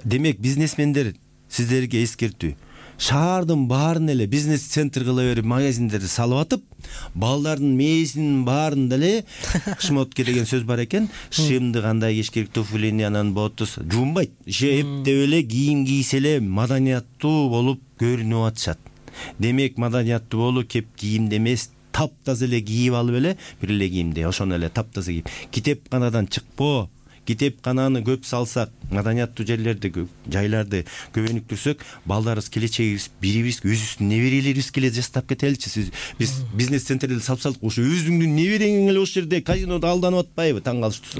Демек, бизнесмендер, сиздерге эскертүү. Шаардын баарын эле бизнес-центр кыла берип, магазиндерди салып атып, балдардын мээсинин баарын деле шмотке деген сөз бар экен. Шымды кандай кийиш керек, туфлини, анан ботус жуунбайт. Эптеп эле кийим кийсе эле маданияттуу болуп көрүнүп атышат. Демек, маданияттуу болуу кеп кийимде эмес, таптаза эле кийип алып эле, бир эле кийимде, ошону эле таптаза кийип, китепканадан чыкпоо. Китепкананы көп салсак, маданияттуу жерлерди, жайларды көбөнүктүрсөк, балдарыбыз келечегибиз, бирибиз өзүбүздүн неберелерибиз келе жастап кетеличи. Биз бизнес-центрди салып салдык, ошо өзүңдүн неберең эле ошол жерде казинода алданып атпайбы, таң калыштуу.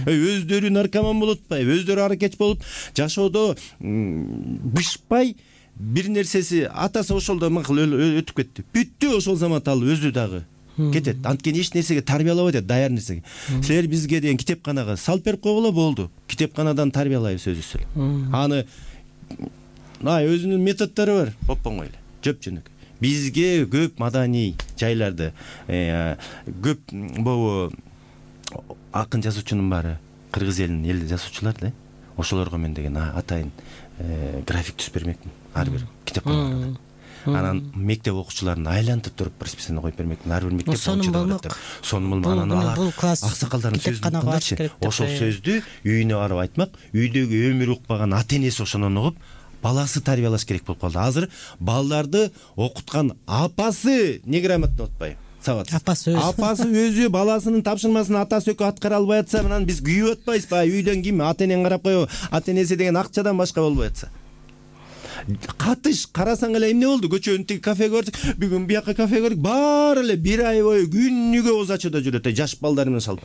Өздөрү наркоман болуп атпайбы, өздөрү аракетч болуп, жашоодо бышпай, бир нерсеси атасы ошолдо макул өтүп кетти. Бүттү, ошол замат ал өзү дагы кетет. Анткени эч нерсеге тарбиялабайт атат, даяр нерсеге. Силер бизге деген китепканага салып берип койгула болду. Китепканадан тарбиялайбыз өзүбүз эле. Аны ай өзүнүн методдору бар, оп-оңой эле, жөп-жөнөкөй. Бизге көп маданий жайларды, көп могу акын жазуучунун баары кыргыз элинин эл жазуучулар да. Ошолорго мен деген атайын график түзүп бермекмин. Ар бир китепканага. Анан мектеп окуучуларын айлантып туруп расписание коюп бермекмин. Ар бир мектеп окуучулары сонун болмок. Анан аксакалдардын сөзүн уткандачы, ошол сөздү үйүнө барып айтмак, үйдөгү өмүр укпаган ата энеси ошону угуп, баласы тарбиялаш керек болуп калды. Азыр балдарды окуткан апасы неграмотно отпайбы? Сабат. Апасы өзү. Апасы өзү баласынын тапшырмасын атасы өкү аткара албай атса, анан биз күйүп атпайбызбы? Үйдөн ким ата энең карап коебу? Ата энеси деген акчадан башка болбой атса. Катыш карасаң эле эмне болду? Көчөнүн тиги кафеге бардык. Бүгүн бияка кафеге бардык. Баары эле бир ай бою күнүгө оз ачууда жүрөт. Жаш балдар менен салып.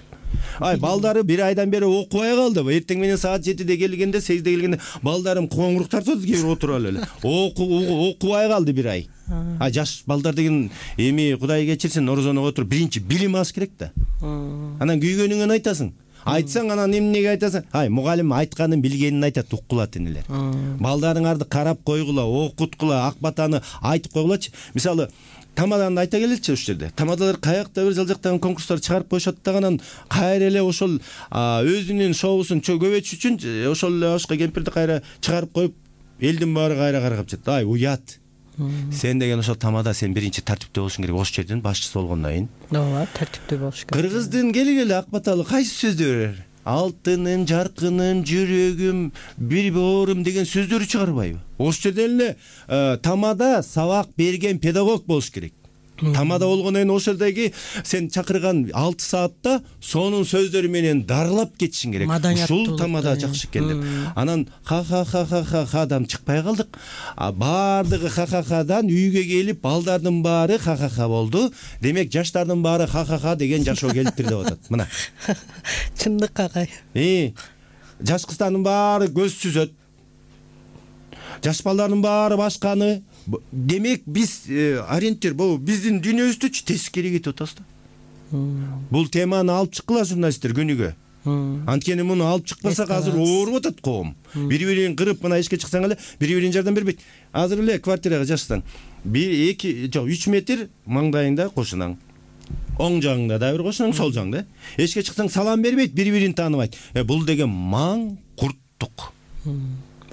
Ай, балдары бир айдан бери окубай калды. Эртең менен саат жетиде келгенде, сегизде келгенде балдарым коңурук тартып кээ бир отуруп алып эле. Окубай калды бир ай. А жаш балдар деген эми Кудай кечирсин, орозонго отуруп биринчи билим алыш керек да. Анан күйгөнүңөн айтасың. Айтсаң анан эмнеге айтасың? Ай, мугалим айтканын билгенин айтат, уккула энелер. Балдарыңарды карап койгула, окуткула, ак батаны айтып койгулачы. Мисалы, тамаданы айта келеличи ушул жерде. Тамадалар каякта бир жалжактаган конкурстар чыгарып коюшат даган кайра эле ошол өзүнүн шоусун көбөйтүш үчүн ошол эле ошко кемпирди кайра чыгарып коюп, элдин баары кайра каргап жатат. Ай, уят. Сен деген ошол тамада сен биринчи тартиптүү болушуң керек. Ош жердин башчысы болгондон кийин. Ооба, тартиптүү болуш керек. Кыргыздын келгеле ак баталы кайсы сөздөр берер? Алтыным, жаркыным, жүрөгүм, бир боорум деген сөздөрү чыгарбайбы? Ош жерде эле тамада сабак берген педагог болуш керек. Тамада болгондон кийин ошол жердеги сен чакырган алты саатта сонун сөздөрү менен дарылап кетишиң керек. Ушул тамада жакшы экен деп. Анан ха ха ха ха ха хадан чыкпай калдык. Баардыгы ха ха хадан үйгө келип, балдардын баары ха ха ха болду. Демек жаштардын баары ха ха ха деген жашоо келиптир деп атат. Мына. Чындык агай. Э, жаш кыздардын баары көз сүзөт. Жаш балдардын баары башканы. Демек биз ориентир, бул биздин дүйнөбүздүчү тескери кетип атабыз да. Бул теманы алып чыккыла журналисттер күнүгө. Анткени муну алып чыкпасак азыр ооруп атат коом. Бири-бирин кырып, мына ишке чыксаң эле бири-бирин жардам бербейт. Азыр эле квартирага жашсаң, бир эки жок үч метр маңдайыңда кошунаң. Оң жагыңда да бир кошунаң, сол жагыңда. Эшикке чыксаң салам бербейт, бири-бирин тааныбайт. Бул деген маң курттук.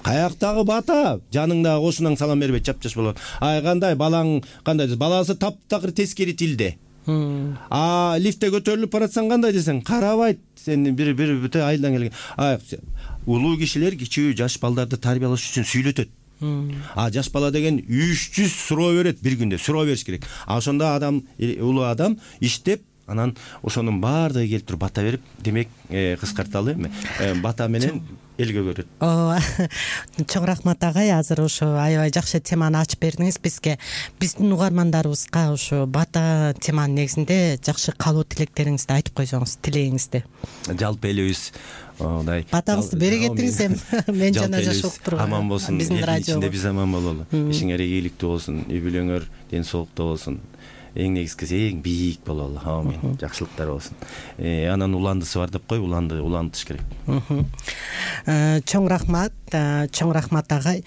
Каяктагы бата, жаныңдагы кошунаң салам бербейт, чапчаш болот. Ай, кандай балаң, кандай баласы таптакыр тескери тилде. А лифтте көтөрүлүп баратсаң кандай десең, карабайт, сени бир бир бүт айылдан келген. Ай, улуу кишилер кичүү жаш балдарды тарбиялаш үчүн сүйлөтөт. А жаш бала деген үч жүз суроо берет бир күндө, суроо бериш керек. А ошондо адам, улуу адам иштеп, анан ошонун баардыгы келип туруп бата берип, демек кыскарталы эми бата менен элге көрөт. Ооба. Чоң рахмат агай, азыр ошо аябай жакшы теманы ачып бердиңиз бизге. Биздин угармандарыбызга ошо бата теманын негизинде жакшы каалоо тилектериңизди айтып койсоңуз, тилегиңизди. Жалпы элибиз мындай батаңызды бере кетиңиз эми. Мен жана жашоо туруп аман болсун, биздин радиочунда биз аман бололу. Ишиңер ийгиликтүү болсун, үй бүлөңөр ден соолуктуу болсун. Эң негизгиси эң бийик бололу. Амин. Жакшылыктар болсун. Анан уландысы бар деп кой, уланды улантыш керек. Чоң рахмат, чоң рахмат агай.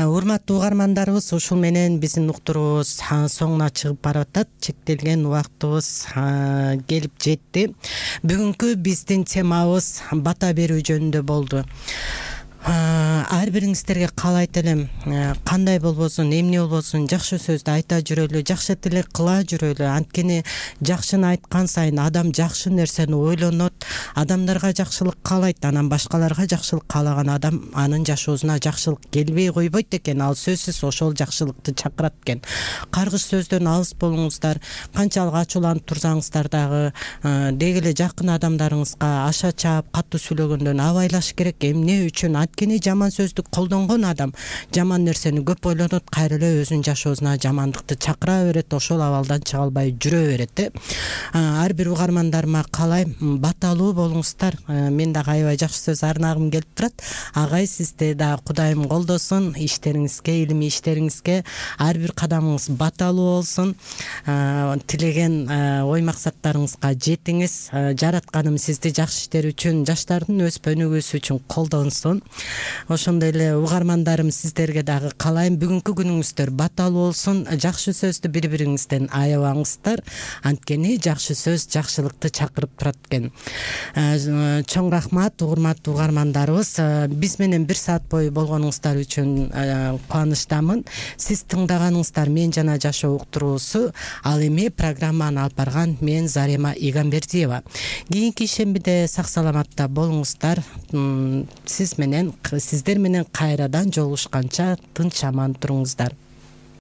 Урматтуу угармандарыбыз, ушул менен биздин уктуруубуз соңуна чыгып баратат. Чектелген убактыбыз келип жетти. Бүгүнкү биздин темабыз бата берүү жөнүндө болду. Ар бириңиздерге каалайт элем, кандай болбосун, эмне болбосун, жакшы сөздү айта жүрөлү, жакшы тилек кыла жүрөлү. Анткени жакшыны айткан сайын адам жакшы нерсени ойлонот, адамдарга жакшылык каалайт, анан башкаларга жакшылык каалаган адам анын жашоосуна жакшылык келбей койбойт экен. Ал сөзсүз ошол жакшылыкты чакырат экен. Каргыш сөздөн алыс болуңуздар, канчалык ачууланып турсаңыздар дагы деги эле жакын адамдарыңызга аша чаап катуу сүйлөгөндөн абайлаш керек. Эмне үчүн? Анткени жаман сөздү колдонгон адам жаман нерсени көп ойлонот, кайра эле өзүнүн жашоосуна жамандыкты чакыра берет, ошол абалдан чыга албай жүрө берет. Ар бир угармандарыма каалайм, баталуу болуңуздар. Мен дагы аябай жакшы сөз арнагым келип турат. Агай, сизди да Кудайым колдосун, иштериңизге, илимий иштериңизге ар бир кадамыңыз баталуу болсун. Тилеген ой максаттарыңызга жетиңиз. Жаратканым сизди жакшы иштер үчүн, жаштардын өспө өнүгүүсү үчүн колдонсун. Ошондой эле угармандарым, сиздерге дагы каалайм, бүгүнкү күнүңүздөр баталуу болсун. Жакшы сөздү бири-бириңизден аябаңыздар. Анткени жакшы сөз жакшылыкты чакырып турат экен. Чоң рахмат урматтуу угармандарыбыз. Биз менен бир саат бою болгонуңуздар үчүн кубанычтамын. Сиз тыңдаганыңыздар Мен жана жашоо уктуруусу. Ал эми программаны алып барган мен Зарема Игамбердиева. Кийинки ишембиде сак саламатта болуңуздар. Сиз менен сиздер менен кайрадан жолугушканча тынч аман туруңуздар.